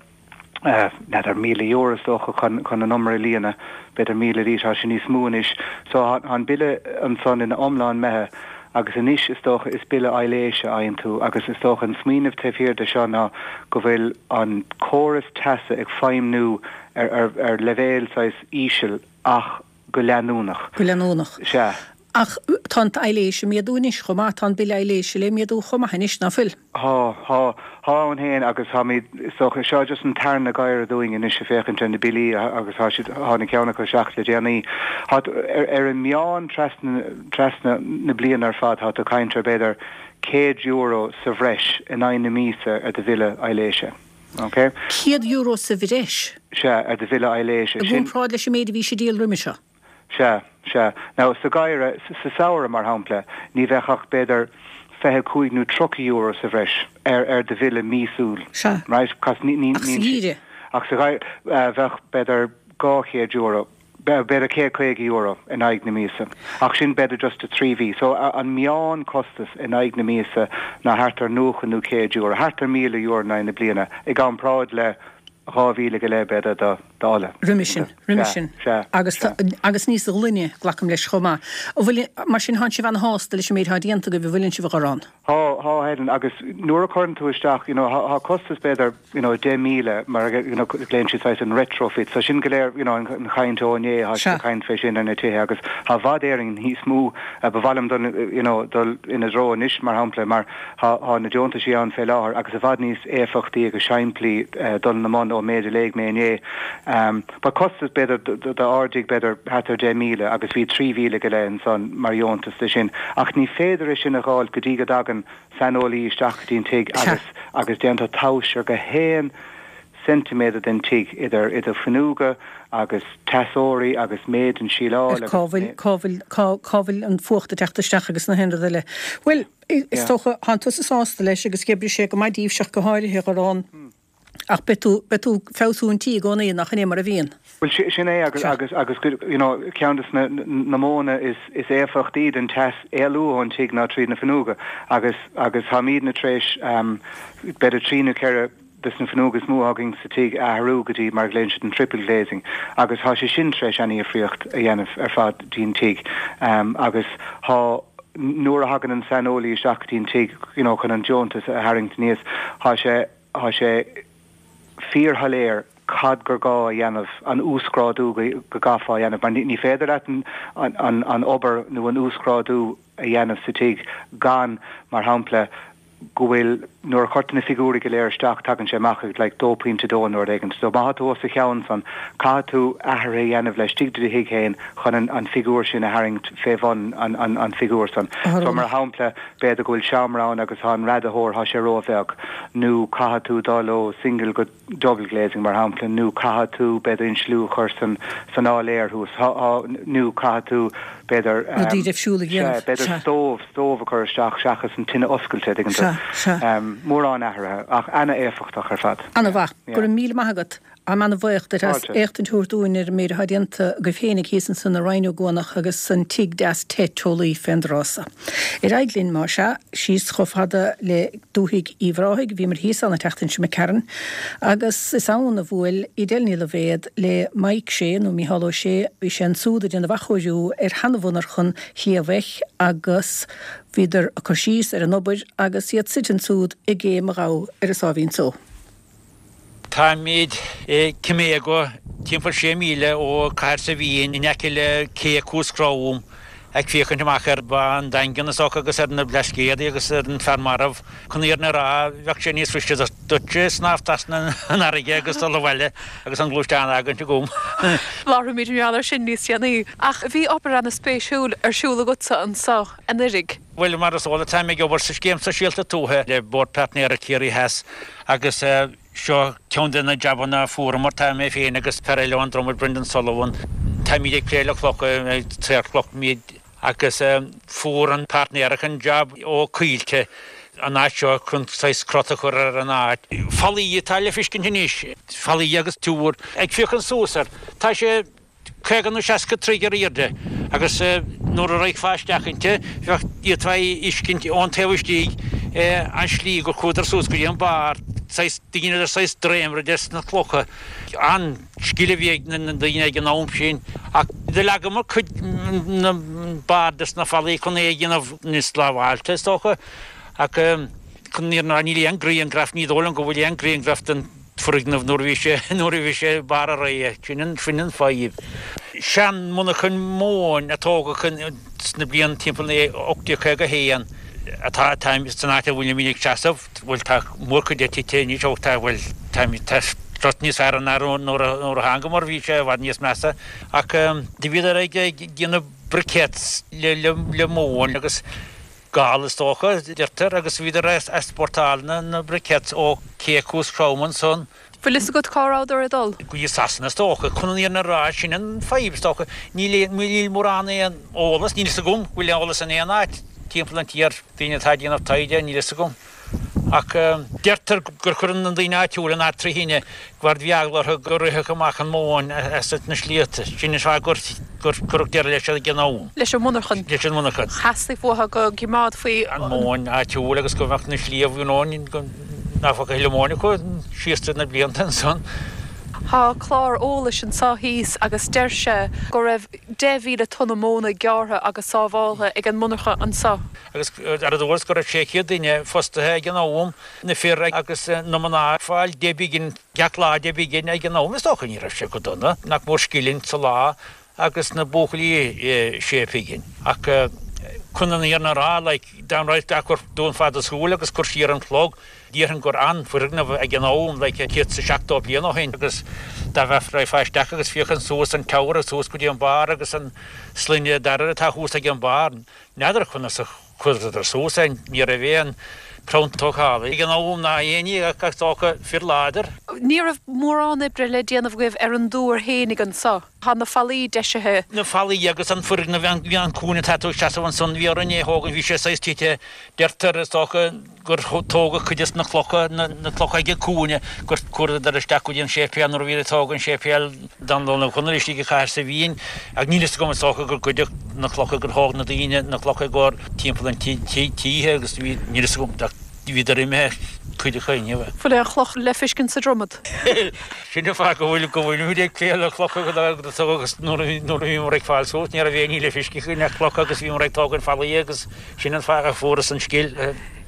n'fheadar, €1,000 is dócha chun chun an umar a líonadh, b'fhéidir 1,000 arís, tá sé níos mó anois. So tá an bille ansan ina iomlán imithe agus anois is dócha is bille aibhléise a fhaigheann tú agus is dócha an smaoineamh taobh thiar de seo ná go bhfuil an córas teasa ag feidhmniú ar ar ar leibhéal saghas íseal ach go leanúnach. Go leanúnach. Sea. Ach tá an t-aibhléis ag méadú anois chomh maith, tá an bille aibhléise le méadú chomh maith anois, ná fuil? Thá, thá. Thá ann féin agus táimid, is dócha, seo just an tarna geimhreadh dúinn anois ag féachaint ar na billí agus tá siad, tháinig ceann acu isteach le déanaí. Thá, ar, ar an meán trasna, trasna na bliana ar fad, thá tú ag caint ar b'fhéidir €100 sa bhreis in aghaidh na míosa ar do bhille aibhléise. Ok. €100 sa bhreis? Sea, ar do bhille aibhléise. I gcomparáid leis an méid a bhí sé ag díol roimhe seo? Sea, sea. Now, sa gheimhreadh, sa samhradh, mar shampla, ní bheadh ach b'fhéidir 25 nó €30 sa bhreis ar, ar do bhille míosúil. Sea. Right? Cos ní, ní, Ach sa gheimhreadh? Ach sa gheimhreadh, bheadh b'fhéidir €200. B'fhéidir €150 in aghaidh na míosa. Ach sin b'fhéidir just do thrí mhí. So an meán costas in aghaidh na míosa ná thart ar 90 nó €100, thart ar €1,000 in aghaidh na bliana, i gcomparáid le 2,000 go leith b'fhéidir do d'ola. Roimhe sin, roimhe sin. Sea, Agus sea. agus níos glaine, glacaim leis chomh maith. An bhfuil, mar sin, thánn sibh ana-shásta leis an méid atá déanta agaibh, an bhfuileann sibh a Dhorán? Thá, thá, Helen, agus nuair a chuireann tú isteach, you know, thá, thá costas b'fhéidir, you know, 10,000 mar you know, glaonn siad saghas an retrofit, so sin go léir, you know, an, an chaint ó inné, thá siad ag caint fé sin ar na tithe agus thá i bhfad Éireann níos mó, ba mhaith liom dul, you know, dul ina dtreo anois, mar shampla, mar thá, thá na deontaisí ann fé láthair agus i bhfad níos éifeachtaí agus simplí dul ina mbun ón méid a léigh mé inné. Ba costas b'fhéidir d'ardaigh b'fhéidir thart ar 10,000 agus bhí 3,000 go leith ansan mar dheontas de sin. Ach ní féidir é sin a dh'fháilt go dtí go dtagann saineolaí isteach go dtí an tigh agus agus déantar tomhas ar gach aon ceintiméadar den tigh idir idir fuinneoga agus teasóirí agus méid an síleáil agus cá bhfuil cá bhfuil cá cá bhfuil an fuacht ag teacht isteach agus na haon rud eile. Bhuel, is dócha, thánn tusa sásta leis agus oibreoidh sé go maith daoibhse ach go háirithe, a Dhorán. Ach beidh tú, beidh tú ag feabhsú an tí i gcónaí, nach in é mar a bhíonn? Bhuel, sin é agus, agus, agus, you know, ceann de na, na modhanna is, is éifeachtaí den teas éalú ón tigh ná tríd na fuinneoga agus, agus táimídne tar éis, b'fhéidir trí nó ceithre des na fuinneoga is mó againn sa tigh a athrú go dtí mar a ghlaonn siad an triple glazing agus tá sé sin tar éis ana-dhifríocht a dhéanamh ar fad dtí'n tigh agus thá nuair a thagann an saineolaí isteach go dtí an tigh you know chun an deontas a tharraingt aníos thá sé thá sé fíorshoiléir cad gur gá a dhéanamh, an uasghrádú go gcaithfeá a dhéanamh mar ní féidir leat an an an obair nó an uasghrádú a dhéanamh sa tigh gan mar shampla go bhfuil, nuair a chuirtear na figiúirí go léir isteach, tagann sé amach ag like 2.2 nó rud éigin. So má tá tú os a chionn san, caithfidh tú athruithe a dhéanamh laistigh de do thigh féin chun an an figiúr sin a tharraingt fé bhun an an an figiúr san. So mar shampla, b'fhéidir go bhfuil seomra ann agus tá an radaitheoir, tá sé ró-bheag, nó caithfidh tú dul ó single go double glazing mar shampla, nó caithfidh tú b'fhéidir insliú a chur san san áiléar thuas, nó caithfidh tú b'fhéidir Rudaí difriúla a dhéanamh, sea, b'fhéidir stove, stove a chur isteach seachas an tine oscailte, tuigeann tú. Sea, sea. Mórán athruithe, ach ana-éifeachtach ar fad. Ana-mhaith. Go raibh míle maith agat. Táim ana-bhaoch duit as Fáilte. éachtaint a thabhairt dúinn ar an méid atá déanta agaibh féinig thíos ansan i Rinn Ó gCuanach agus an tigh deas te teolaí fén dtráth so. Ar aghaidh linn, más ea, síos chomh fada le dúthaigh Uíbh Ráthaigh, bhíomar thíos ann an tseachtain seo imigh tharainn, agus is ann a bhuail Edel Ní Loibhéad le Mike Shea, nó Mícheál Ó Sé, bhí sé ansúd ag déanamh athchóiriú ar sheanamhonarchan Shliabh Eich agus bhíodar ag cur síos ar an obair agus iad suite ansúd i gCé mo Ghabha ar an Sáimhín Só. Táimid i Cimego, timpeall sé míle ó Cathair Saidhbhín, in aice le cé Cuas Crom, ag féachaint amach ar Bhá an Daingin is dócha agus ar na Blascaodaí agus ar an Fear Marbh. Chun an fhírinne a rá, bheadh sé níos fuiriste duitse snámh trasna an fharraige agus dul abhaile agus an gluaisteán a fhágaint agam. Labharfaimid mar gheall air sin níos déanaí. Ach bhí obair ana-spéisiúil ar siúl agatsa anseo anuiridh. Bhuel, mar is eol duit, táim ag obair sa Scéim Sóisialta Tuaithe le Bord Páirtnéireachta Ciarraí Theas agus seo ceann de na jabanna a fuaireamar, tá mé féin agus fear eile ón Dromaid, Brendan Sullivan, táimid ag plé le clocha, ag saor cloch muid agus fuair an páirtnéireacht an jab ó Coillte an áit seo chun saghas crot a chur ar an áit. Fallaí atá le feiscint anois, fallaí agus túr. Ag féachaint suas air, tá sé 50 nó 60 troigh ar aoirde agus nuair a raghfá isteach inti, bheadh, d'fhéadfá a fheiscint ón taobh istigh an slí gur chuadar suas go dtí an barr, saghas, dheineadar saghas dréimire des na clocha. An-scil a bhí ag na daoine ag an am sin ach do leagamar cuid na barr des na fallaí chun é a dhéanamh níos lábháilte is dócha ach chun an fhírinne a rá níl aon grianghraf, ní dóigh liom go bhfuil aon grianghraf den foirgneamh nuair a bhí sé nuair a bhí sé ag barr a ré. Sin an sin an fadhb. Sean-mhonarchan móin a tógadh sna blianta timpeall 1851 atá atá san áit a bhfuilimid ag seasamh. Bhuel tá mórchuid de tite anois ó tá bhuel tá tá rud níos fearr ná nuair a nuair a thángamar bhí sé i bhfad níos measa ach do bhíodar ag ag déanamh briquettes le le le móin agus Gal is dócha, deirtear, agus bhíodar ag easpórtáil na briquettes ó Ché Chuas Chrom ansan. Bhfuil fhios agat cá rabhadar ag dul? Go dtí Sasana is dócha. Chun an fhírinne a rá, sin an fadhb is dócha. Níl níl mórán aon eolas, níl fhios agam go bhfuil eolas in aon áit timpeall an tír, daoine atá ag déanamh taighde, níl fhios agam. Ach deirtear gur chuir na daoine áitiúla an áit trí thine mar bhí eagla orthu go rithfeadh amach an mhóin as na sliabhta. Sin an fáth gur cuireadh deireadh leis ag an am. Leis an monarchan. Leis an monarchan. Theastaigh uathu go gcimeádfaí. an mhóin áitiúil agus go mbeadh na sliabh, you know, go nach bhfaca a thuilleadh móin acu síos tríd na blianta ansan. Tá clár eolais anseo thíos agus deir sé go raibh 10,000 tonna móna gearrtha agus sábháltha ag an monarcha anseo. Agus ar a dtuairisc go raibh 600 duine fostaithe ag an am, na fir agus na mná ag fáil 10 bpingin gach lá, 10 bpingin ag an am, is dócha ní raibh sé go dona, nach mór scilling sa lá agus na buachaillí sé phingin. Ach chun an fhírinne a rá, like, dá mbeadh dún fada súl agus cur siar an clog, déarfainn gur an-fhoirgneamh ag an am, like, 170 bliain ó shin agus dá raghfá isteach agus féachaint suas an tower suas go dtí an barr agus an sloinne dara atá thuas ag an barr, N'fheadar conas a chuireadar suas é, ní raibh aon chrann tógála ag an am ná aon ní ach is dócha fir láidir. Ní raibh mórán oibre le déanamh agaibh ar an dtúr fhéinig anso. Tá na fallaí deisithe. Na fallaí agus an foirgneamh, an cúinne atá tú ag seasamh ansan, bhí orainn é a thógaint, bhí sé saghas tite, deirtear is dócha gur tógadh cuid des na clocha, na clocha ag an cúinne, gur cuireadar isteach go dtí an séipéal nuair a bhíodar ag tógaint an séipéal Dánlann Uí Chonaill istigh i gCathair Saidhbhín ach níl fhios agam is dócha gur goideadh na clocha, gur thóg na daoine na clocha i gcomhair timpeall an títhe agus bhí, níl fhios agam ach bhíodar imithe cuid acu inniu. Bhfuil aon chloch le feiscint sa Dromad? Sin an fáth go bhfuil go bhfuilimid ag plé le clocha agus nuair a bhíomar ag fáil suas ní raibh aon ní le feiscint againn ach clocha agus bhíomar ag tógaint fallaí agus sin an fáth a fuaireas an scil.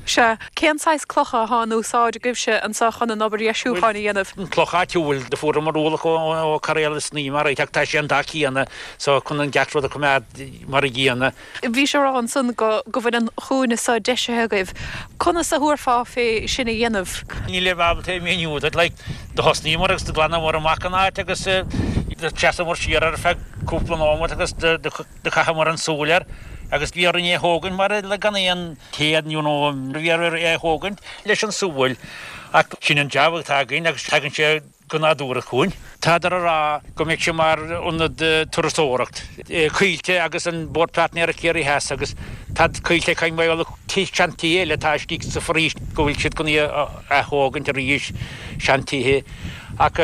Sea. Cén saghas clocha atá in úsáid agaibhse anseo chun an obair dheisiúcháin a dhéanamh? An cloch áitiúil, do fuaireamar ualach ó cairéal is ní mar ach tá sé an dath céanna so chun an gach rud a choimeád mar a gcéanna. Bhís ag rá ansan go go bhfuil an chúinne seo deisithe agaibh. Conas a thabharfá fé sin a dhéanamh? Nílim ábalta é a mhíniú duit. Like, do thosnaíomar agus do ghlanamar amach an áit agus do sheasamar siar ar feadh cúpla nóiméad agus do Do chaitheamar an súil air agus bhí orainn é a thógaint mar le gan aon téad you know bhí orainn é a thógaint leis an súil ach sin an jab atá againn agus tagann sé go nádúrtha chugainn. Tádar a rá go mbeidh sé mar ionad turasóireacht. Coillte agus an Bord Páirtnéireachta Ciarraí Theas agus tá Coillte ag caint mar gheall seantithe eile atá istigh sa pharóiste go bhfuil siad chun í a ath-thógaint arís, seantithe ach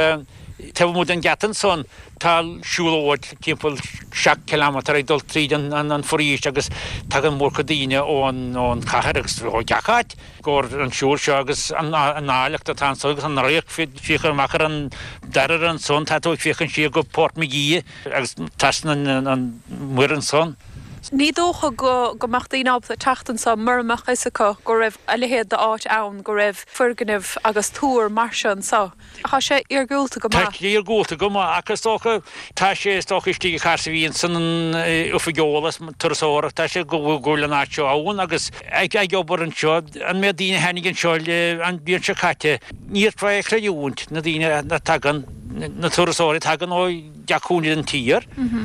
taobh amuigh den gheata ansan Tá siúlóid timpeall 7 kilometre ag dul tríd an foraois agus tagann mórchuid daoine ón chathair agus ó gach áit i gcomhair an siúl seo agus an áilleacht atá anso agus an radharc féachaint amach ar an Dairbhre ansan, tá tú ag féachaint siar go Portmagee agus trasna an muir ansan. Ní dócha go go mbeadh daoine ábalta teacht anso mura mbeadh fhios acu go raibh a leithéid d'áit ann, go raibh foirgneamh agus túr mar seo anso. Tá sé iargúlta go maith. Tá sé iargúlta go maith ach is dócha, tá sé is dócha istigh i Cahersiveen san oifig eolas turasóireachta, tá sé go bhfuil an áit seo ann agus ag obair anseo, an méid daoine a tháinig anseo an bhliain seo caite, ní fhéadfá é a chreidiúint, na daoine a tagann, na turasóirí a tagann ó gach cúinne den tír,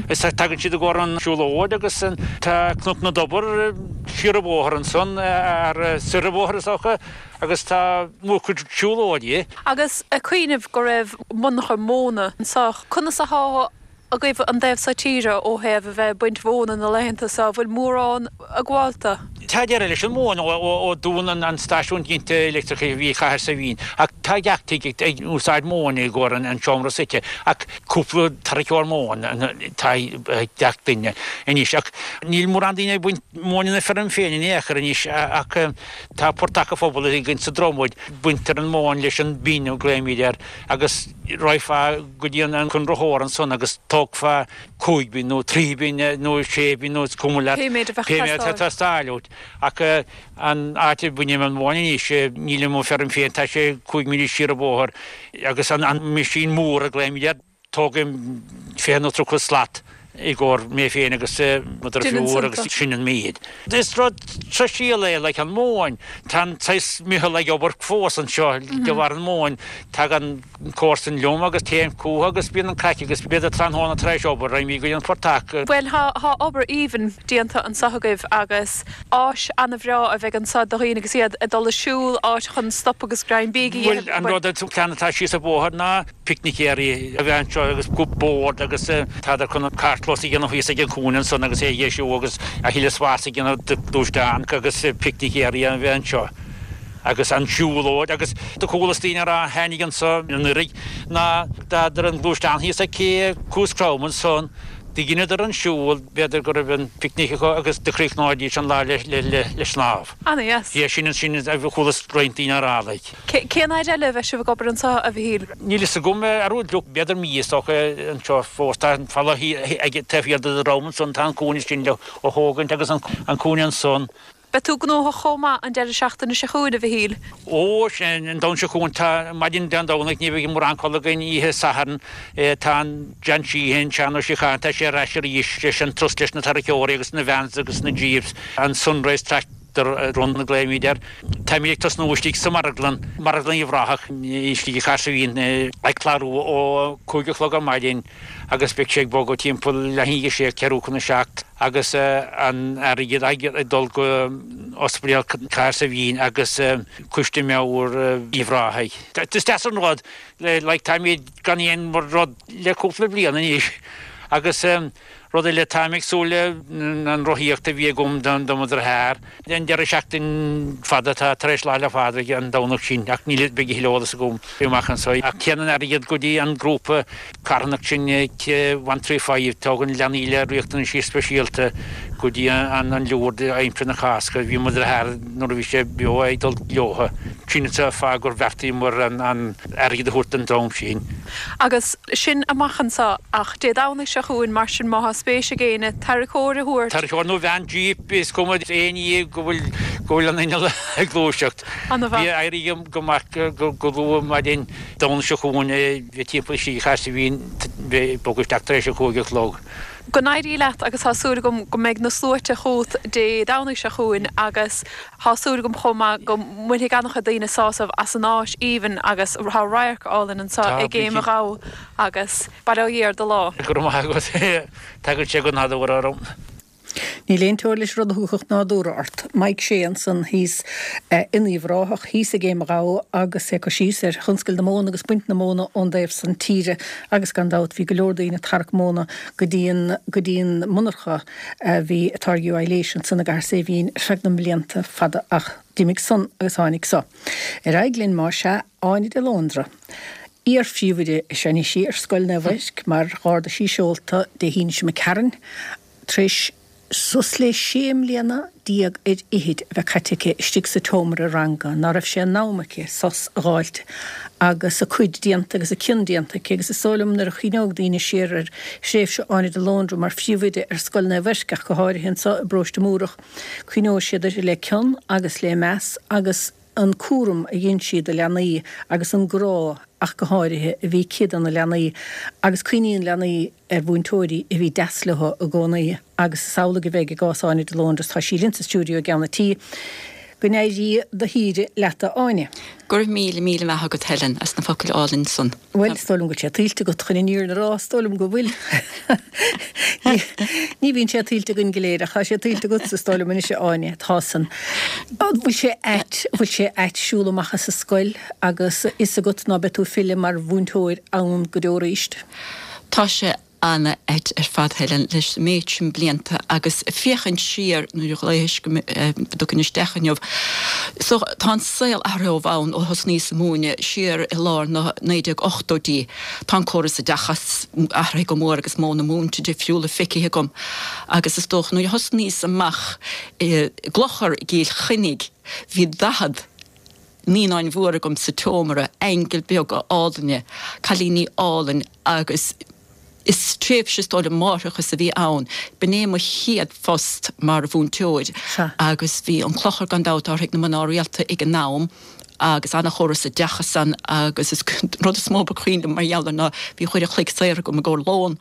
is tagann siad i gcomhair an siúlóid agus tá Cnoc na dTobar siar an bóthar ansan, ar soir an bhóthair is dócha. Agus tá mórchuid siúlóidí. Agus ag cuimhneamh go raibh monarcha móna anseo, conas athá agaibh an taobh seo tíre ó thaobh a bheith ag baint mhóna na laethanta seo? Bhfuil mórán ag gabháil do? Tá deireadh leis an mhóin ó dúnadh an stáisiún ginte leictreachais a bhí i Cathair Saidhbhín ach tá gach tigh ag úsáid móin i gcomhair an seomra suite ach cúpla tarraiceoir móin atá ag gach duine anois ach níl mórán daoine ag baint móin ina feirm féin in aon chor anois ach Tá portach an phobail againn sa Dromad, baintear an mhóin leis an bin a ghlaoimid air, agus raghfá go dtí an conraitheoir ansan agus tógfá 5 bin nó 3 bin nó 6 bin nó is cuma leat pé méid a bheadh pé méid atá ag teastáil uait. Ach an áit a bhainim an mhóin anois, níl i mo feirm féin, tá sé 5 míle siar an bóthar agus an meaisín mór a ghlaoimid air, Tógaim 20 nó 30 slat i gcomhair mé féin agus mo dheirfiúr agus sin an méid. Is rud sóisialta é like an mhóin. Tá an saghas meitheal ag obair fós anseo de bharr an mhóin. Tagann comharsan liom agus téim chucu agus bíonn an craic agus b'fhéidir tráthnóna tar éis obair raghaimid go dtí an portach. Bhuel tá obair aoibhinn déanta anseo agaibh agus áis ana-bhreá a bheidh anseo do dhaoine agus iad ag dul ag siúl, áit chun stop agus greim bídh a dhéanamh. Bhuel an rud an plean atá síos an bóthar ná picnicéirí a bheith anseo agus bord agus tádar chun an carrchlós a dhéanamh thíos ag an chúinne ansan agus é a dheisiú agus a thuilleadh spás a dhéanamh do ghluaisteáin agus picnicéirí a bheith anseo agus an siúlóid agus do chualas daoine a rá a tháinig anso anuraidh ná d'fhágadar an gluaisteán thíos ag cé Cuas Crom ansan do dheineadar an siúl b'fhéidir go raibh an picnic acu agus do chríochnóidís an lá le snámh. Ana-dheas. Sin sin a chualas roinnt daoine a rá like. Cén fhaid eile a bheidh sibh ag obair anseo, a Mhichíl? Níl fhios agam, ar feadh b'fhéidir mí is dócha anseo fós. Tá an falla ag taobh thiar de dhrom ansan, tá an cúinne sin le thógaint agus an cúinne ansan. Beidh tú gnóthach chomh maith an deireadh seachtaine seo chugainn, a Mhichíl? Ó, sin, an Domhnach seo chugainn, tá maidin Dé Domhnaigh, ní bheidh mórán codladh againn oíche Sathairn, tá an John Sheehan, Seán Ó Síocháin, tá sé ar ais arís leis an turas leis na tarraiceoirí agus na vans agus na jeeps, an Sunrise Tractor. Run a ghlaoimid air. Táimid ag tosnú istigh sa marglann, Marglann Uíbh Ráthach, istigh i Cahersiveen, ag clárú ó 5 a chlog ar maidin agus beidh sé ag bogadh timpeall leath i ndiaidh a sé, ceathrú chun a seacht agus an airgead ag dul go Ospidéal Cahersiveen agus Coiste Meabhair Uíbh Ráthaigh. Is deas an rud, like táimid gan aon rud le cúpla bliain anois. Agus rud eile, táim ag súil le an rothaíocht a bhí agam do mo dhritheár. An deireadh seachtain fada atá tar éis Lá 'le Phádraig an Domhnach sin ach níl beidh a thuilleadh eolas agam amach anso. Ach téann an airgead go dtí an grúpa carthanach sin 135, tógann leanaí le riachtanaisí speisialta go dtí an Lourdes aimsir na Cásca. Bhí mo dhritheár nuair a bhí sé beo ag dul leotha. Sin an fáth gur bheartaíomar an airgead a thabhairt don dream sin. Agus sin amach anso ach Dé Domhnaigh seo chugainn, mar sin má tá spéis ag éinne tarracóir a thabhairt. Tarracóir nó veain jíp, is cuma aon ní go bhfuil go bhfuil an inneall ag gluaiseacht. Ana-mhaith. Bhí éirí go maith go luath maidin Domhnaigh seo chugainn bhí timpeall sé chaise bhí ag bogadh isteach tar éis a 5 a chlog. Go n-éirí leat agus tá súil agam go mbeidh na sluaite chugat Dé Domhnaigh seo chugainn agus Tá súil agam chomh maith go mbainfidh an-chuid daoine sásamh as an áit aoibhinn agus tá radharc álainn anseo i gCéim an Ghabha agus bail ó Dhia ar do lá. Go raibh maith agat. Tagann sé go nádúrtha orm. Níl aon teoir leis rud a thiocfadh nádúrtha ort. Mike Shea ansan thíos in Uíbh Ráthach, thíos i gCéim an Ghabha agus é ag cur síos ar thionscal na móna agus baint na móna ón dtaobh san tíre agus gan dabht bhí go leor daoine ag tarrac móna go dtí an go dtí an monarcha a bhí ag táirgiú aibhléise ansan i gCathair Saidhbhín ar feadh na mblianta fada ach d'imigh san agus tháinig so. Ar aghaidh linn más ea, Áine de Lóndra. Iar-phríomhoide is ea anois í ar Scoil Naomh Eirc mar dh'ardaigh sí seolta Dé hAoine seo imigh tharainn tar éis suas le sé mbliana déag ar fhichid a bheith caite aici istigh sa tseomra ranga ná raibh sé in am aici sos a dh'fháilt agus a cuid déanta agus a cion déanta aici agus is dóigh liom nuair a chuimhneoidh daoine siar ar thréimhse Áine de Lóndra mar phríomhoide ar Scoil Naomh Eirc ach go háirithe anseo i bparóiste Múrach, cuimhneoidh siad uirthi le cion agus le meas agus an cúram a dhein sí do leanaí agus an grá ach go háirithe a bhí aici do na leanaí agus cuimhníonn leanaí ar mhúinteoirí a bhí deas leo i gcónaí agus is amhlaidh a bheidh i gcás Áine de Lóndra tá sí linn sa stiúideo i gceann an tí. Go n-éirí do shaoire leat a Áine. Go raibh míle, míle maith agat Helen as na focail álainn san. Bhuel, is dóigh liom go bhfuil sé tuillte agat chun an fhírinne a rá, is dóigh liom go bhfuil. Ní bhíonn sé tuillte againn go léir ach tá sé tuillte agatsa is dóigh liom anois a Áine, tá san. An bhfuil sé ait, an bhfuil sé ait siúl amach as an scoil agus a fhios agat ná beidh tú ag filleadh mar mhúinteoir ann go deo arís? Tá sé ana-ait ar fad, Helen, leis an méid sin blianta agus féachaint siar nuair a ghlaodhais go dtiocfainn isteach inniu. So, tá an saol athraithe ó bhonn ó thosnaíos ag múineadh siar i lár na 1980idí. Tá an córas oideachais athraithe go mór agus modhanna múinte difriúla feicthe agam agus is dócha nuair a thosnaíos amach i gclochar i gCill Chainnigh bhí 40 naíonáin mhór agam sa tseomra, aingil beaga álainne, cailíní álainn agus is tréimhse is dóigh liom máithreachais a bhí ann. B'in é mo chéad phost mar mhúinteoir agus bhí an clochar gan dabht á rith ag na mná rialta ag an am agus ana-chóras oideachais ann agus is an rud is mó ba chuimhin liom mar gheall air ná bhí uair a chloig saor agam i gcomhair lón.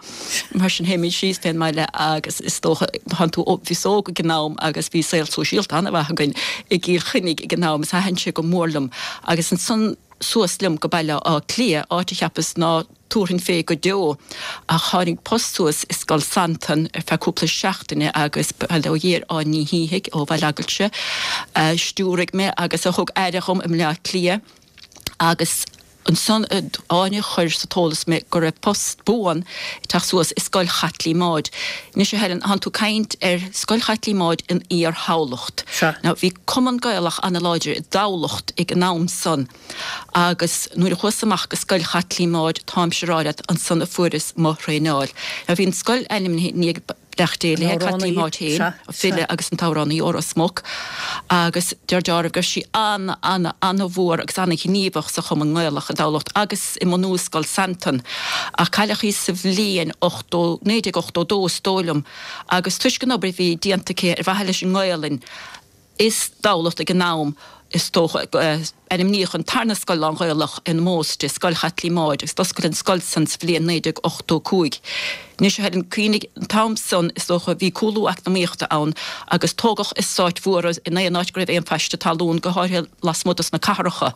Mar sin théimid síos fén mbaile agus is dócha tánn tú bhíos óg ag an am agus bhí saol sóisialta an-mhaith againn i gCill Chainnigh ag an am is thaitin sé go mór liom agus ansan suas liom go Baile Átha Cliath, áit a cheapas ná tabharfainn fé go deo ach tháinig post suas i Scoil Santain ar feadh cúpla seachtaine agus bail ó Dhia ar Áine Ní Shíthigh ó Bhaile Aigilte a stiúraigh mé agus a thug aire dhom i mBleá Cliath agus Ansan Áine chuir sa t-eolas mé go raibh post buan ag teacht suas i Scoil Chaitlín Maude. Anois a Helen, thánn tú caint ar Scoil Chaitlín Maude in Iar-Thamhlacht. Now bhí Cumann Gaelach ana-láidir i dTamhlacht ag an am san agus nuair a chuas amach go Scoil Chaitlín Maude, táimse a rá leat, ansan a fuaireas mo thraenáil. Now bhí an scoil ainmnithe i ndiaidh Bleachtaire An Caitlín amhránaí, Maude féin, sea, an file sea. agus an t-amhránaí ó Ros Muc, agus deir dealramh go raibh sí ana, ana, ana-mhór agus ana-ghníomhach sa Chumann nGaelach i dTamhlacht agus i mbunú Scoil Santain, ach cailleadh í sa bhliain 80, 1982 is dóigh liom, agus toisc an obair a bhí déanta aici ar mhaithe leis an nGaelainn, i dTamhlacht ag an am, is dócha. Ainmníodh an tarna scoil lán-Ghaelach in ómós di, Scoil Chaitlín Maude, agus d'oscail an scoil san sa bhliain 1985. Anois, a Helen, cuimhnigh, an t-am san, is dócha, bhí cúlú eacnamaíochta ann agus tógadh eastáit mhóra in aon áit go raibh aon phaiste talún, go háirithe lasmuigh dos na cathracha.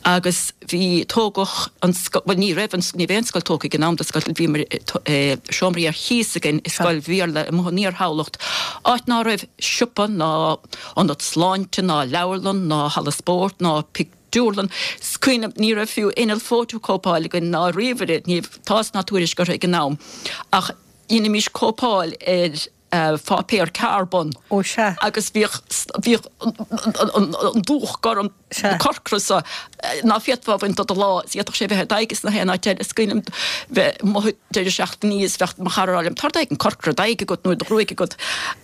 Agus bhí, tógadh an scoil, bhuel ní raibh an, ní raibh aon scoil tógtha ag an am do scoil, bhí seomraí ar chíos againn i scoil Bhéarla amuigh in Iar-Thamhlacht, áit ná raibh siopa ná ionad sláinte ná leabharlann ná halla spóirt ná pictiúrlann. Is cuimhin liom, ní raibh fiú inneall fótachóipeáil againn ná ríomhaire, ní raibh tásc ná tuairisc orthu ag an am. Ach. Dheinimís cóipeáil ar pháipéar carbón. Ó sea. Agus bhíodh, bhíodh an dúch gorm corcra so ná féadfá a bhaint de do lámh is d'fhéadfadh sé bheith ar d'aghaidh is nach aon áit eile. Is cuimhin liom bheith amuigh deireadh seachtaine is bheadh mo chara ag rá liom, tá d'aghaidh corcra, d'aghaidh agat nó do ghruaig agat.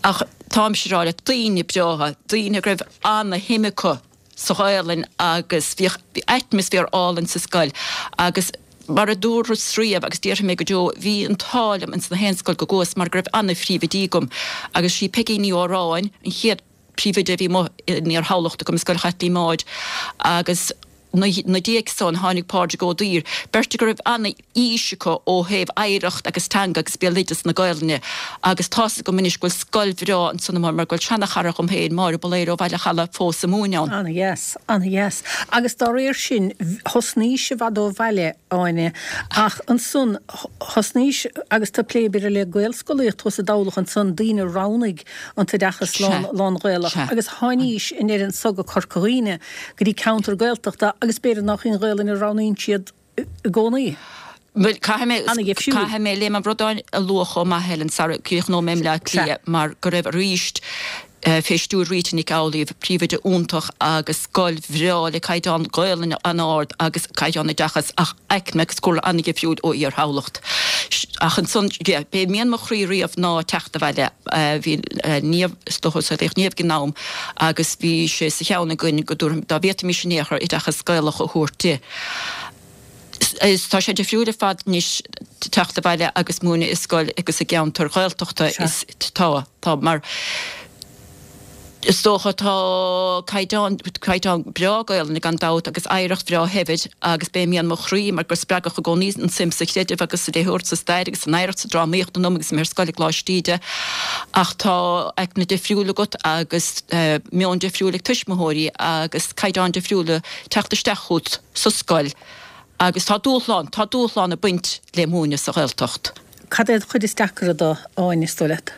Ach táimse ag rá leat, daoine breátha, daoine go raibh ana-shuim acu sa Ghaelainn agus bhíodh atmaisféar álainn sa scoil agus mar a dúras riamh agus déarfaidh mé go deo, bhí an t-ádh liom ins na haon scoil go gcuas mar go raibh ana-phríomhoidí agam agus sí Peigí Ní Óráin an chéad príomhoide a bhí amuigh in Iar-Thamhlacht agam i Scoil Chaitlín Maude agus na diaidh san tháinig Pádraig Ó Duibhir, beirt go raibh ana-fhís acu ó thaobh oidhreacht agus teanga agus béaloideas na Gaelainne agus tá's agam anois go bhfuil scoil bhreá ansan amuigh mar go bhfuil seana-chara dhom féin, Máire Bailéir ó Bhaile Chalaidh fós ag múineadh ann. Ana-dheas, ana-dheas. Agus dá réir sin, thosnaís i bhfad ó bhaile, Áine, ach ansan thosnaís agus tú ag plé b'fhéidir le Gaelscolaíocht thuas i dTamhlacht ansan, daoine a roghnaigh an t-oideachas lán-Ghaelach agus tháinís i ndeireadh anso go Corca Dhuibhne, go dtí ceantar Gaeltachta agus b'fhéidir nach í an Ghaelainn a roghnaíonn siad i gcónaí. Bhuel, caithfidh mé, caithfidh mé Léim an Bhradáin a lua chomh maith, Helen, sara gcríochnóidh mé i mBleá Cliath, mar go raibh arís, fé stiúir Rita Nic Amhlaoibh, príomhoide iontach agus scoil bhreá le caighdeán Gaelainne an-ard agus caighdeán oideachais ach aicme agus cúlra an-dhifriúil ó Iar-Thamhlacht. Ach ansan, yeah, b'é mian mo chroí riamh ná teacht abhaile. Bhí Niamh, is dócha, saolaíodh Niamh ag an am agus bhí sé sa cheann againn go dtabharfaim, dá bhféadfaimis in aon chor oideachas Gaelach a thabhairt di. Is tá sé difriúil ar fad anois teacht abhaile agus múineadh i scoil agus i gceantar Ghaeltachta is tá, tá mar is dócha tá caighdeán, caighdeán breá Gaelainne gan dabht agus oidhreacht bhreá shaibhir agus b'é mian mo chroí mar gur spreagadh i gcónaí an suim sa chreideamh agus sa léitheoireacht, sa stair agus san oidhreacht, sa drámaíocht ionam agus mé ar scoil i gColáiste Íde ach tá aicme difriúil agat agus meon difriúil ag tuismitheoirí agus caighdeáin difriúla teacht isteach chugat sa scoil agus tá dúshlán, tá dúshlán ag baint le múineadh sa Ghaeltacht. Cad é an chuid is deacra de, Áine, is dóigh leat?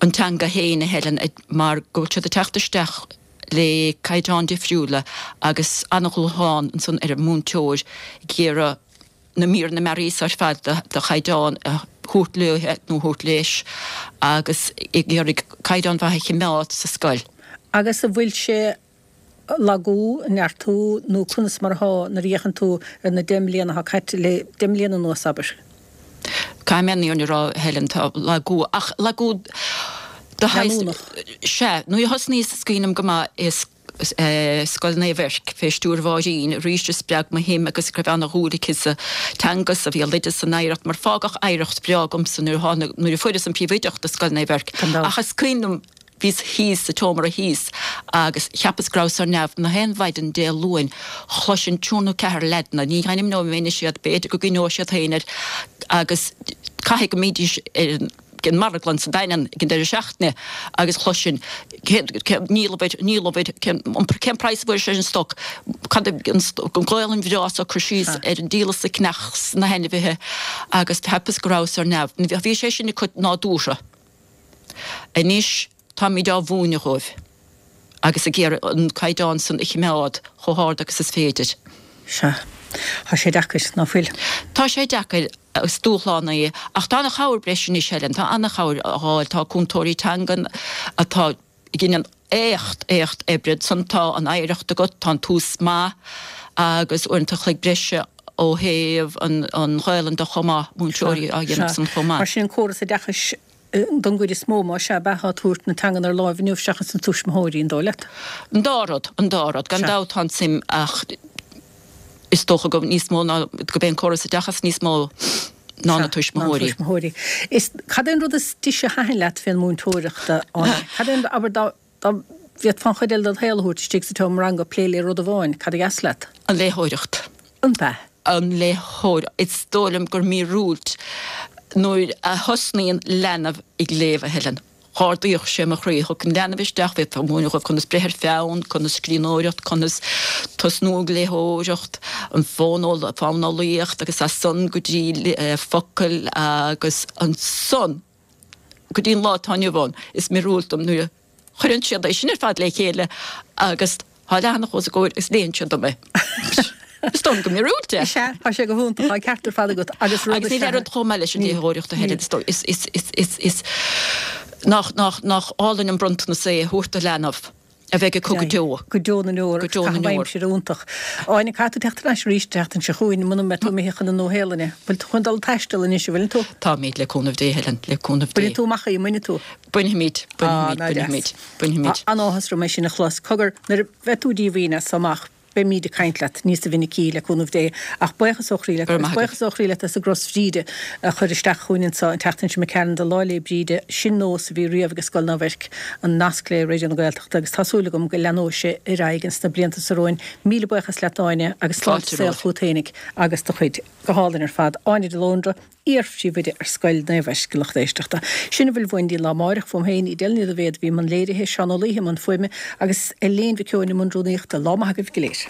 An teanga féin, a Helen, mar go bhfuil siad ag teacht isteach le caighdeáin difriúla agus an-dhúshlán ansan ar an múinteoir ag iarraidh na míreanna mearaí so ar fad de chaighdeán a thabhairt léithe nó a thabhairt leis agus ag iarraidh caighdeán mhaith a chimeád sa scoil. Agus an bhfuil sé lagú, neartú nó conas mar atá nuair a fhéachann tú ar na 10 mbliana atá caite, le 10 mbliana anuas, abair? Caithfidh mé an fhírinne a rá, Helen, tá lagú, ach lagú de shaghas. Leanúnach. Sea. Nuair a thosnaíos, is cuimhin liom go maith, i Scoil Naomh Eirc, fé stiúir Mháirín, arís a spreag mo shuim agus go raibh ana-dhúil aici sa teanga, sa bhéaloideas, san oidhreacht, mar fágadh oidhreacht bhreá agamsa nuair a tháinig, nuair a fuaireas an phríomhoideacht i Scoil Naomh Eirc. Ach is cuimhin liom, Bhíos thíos sa tseomra thíos agus cheapas go rabhas ar neamh. Na haon mhaidin Dé Luain chloisinn triúr nó ceathrar leaideanna, ní ainmneoidh mé anois iad, b'fhéidir go gcuimhneoidh siad féin air, agus caithfidh go mbídís ar an ag an marglann sa Daingean ag an deireadh seachtaine agus chloisinn cén cén níl uimhir níl uimhir cén an cén praghas a bhfuair sé an stoc cad an an Ghaelainn bhreá so cur síos ar an díol is an ceannach 's na hainmhithe agus cheapas go rabhas ar neamh. Bhí sé sin acu nádúrtha. Anois táimid á mhúineadh dhóibh agus ag iarraidh an caighdeán san a chimeád chomh hard agus is féidir. Sea. Tá sé deacair, ná fuil? Tá sé deacair agus dúshlán é ach tá ana-chabhair breis anois, Helen, tá ana-chabhair á fháil, tá cúntóirí teangan atá ag déanamh éacht, éacht oibre. Ansan tá an oidhreacht agat, tá an tús maith agus uaireanta a chloig breise ó thaobh an Ghaelainn de chomh maith, múinteoirí á dhéanamh san chomh maith. Mar sin an córas oideachais don gcuid is mó, más ea, ab ea atá ag tabhairt na teangan ar láimh inniu seachas na tuismitheoirí, an dóigh leat? An dá rud, an dá rud. Gan dabht tá an tsuim ach is dócha go níos mó ná, gurb é an córas oideachais níos mó ná na tuismitheoirí. Ná na tuismitheoirí. Is, cad é an rud is deise a thaitin leat fén múinteoireacht, a Áine? Cad é an, abair, dá, dá bhféadfá an chuid eile ded shaol a thabhairt istigh sa tseomra ranga, plé le rud amháin, cad a dheas leat? An léitheoireacht. An b'ea? An léitheoireacht. Is dóigh liom gur míorúilt nuair a thosnaíonn leanbh ag léamh, a Helen. Dh'ardaíodh sé mo chroí. Thiocfadh an leanbh isteach, bheifeá ag múineadh dhóibh conas breith ar pheann, conas scríbhneoireacht, conas tosnú ag léitheoireacht, an fóineolaíocht agus as san go dtí focail agus ansan go dtí an lá atá inniu ann. Is míorúilt dom nuair a chuireann siad é sin ar fad le chéile agus tá leathanach os a gcomhair agus léann siad dom é. Is dóigh liom go míorúilt é. Is ea, tá sé go hiontach, tá an ceart ar fad agat agus rud Agus níl aon rud chomh maith leis an léitheoireacht a Helen, is dóigh, is, is, is, is, is, nach, nach, nach álainn an bronntanas é a thabhairt do leanbh a bheidh acu go deo. Go deo na ndeor. Go deo na ndeor. Caitheamh aimsire iontach. Áine, caithfidh tú teacht thar n-ais arís an tseachtain seo chugainn muna mbeidh tú imithe chun na Nua-Shéalainne. Bhfuil tú chun dul ag taisteal anois, an bhfuileann tú? Táimid, le cúnamh Dé, Helen, le cúnamh Dé. Bainfidh tú amach í, an mbainfidh tú? Bainfimid, bainfimid, bainfimid, bainfimid. An-áthas orm é sin a chlos. Cogar, nuair a bheidh tú díomhaoin as so amach, beimíd ag caint leat níosa mhinicí, le cúnamh Dé. Ach buíochas ó chroí leat, agus buíochas ó chroí leat as an gcros Bhríde a chur isteach chugainn anso an tseachtain seo imigh tharainn do Lá 'le Bríde. Sin nós a bhí riamh ag Scoil Naomh Eirc, an nasc le Raidió na Gaeltachta, agus tá súil agam go leanóidh sé ar aghaidh ins na blianta so romhainn. Míle buíochas leat Áine, agus sláinte saoil chugat fhéinig agus do chuid. Go hálainn ar fad. Áine de Lóndra. iar-phríomhoide ar Scoil Naomh Eirc, a lucht éisteachta. Sin a bhfuil uainn go dtí an lá amáireach, fuaim féin, Edel Ní Dhaibhéad a bhí i mbun léirithe, Seán Ó Laoithe i mbun fuaime agus Elaine Mhic Eoin i mbun rúnaíochta. Lá maith agaibh go léir.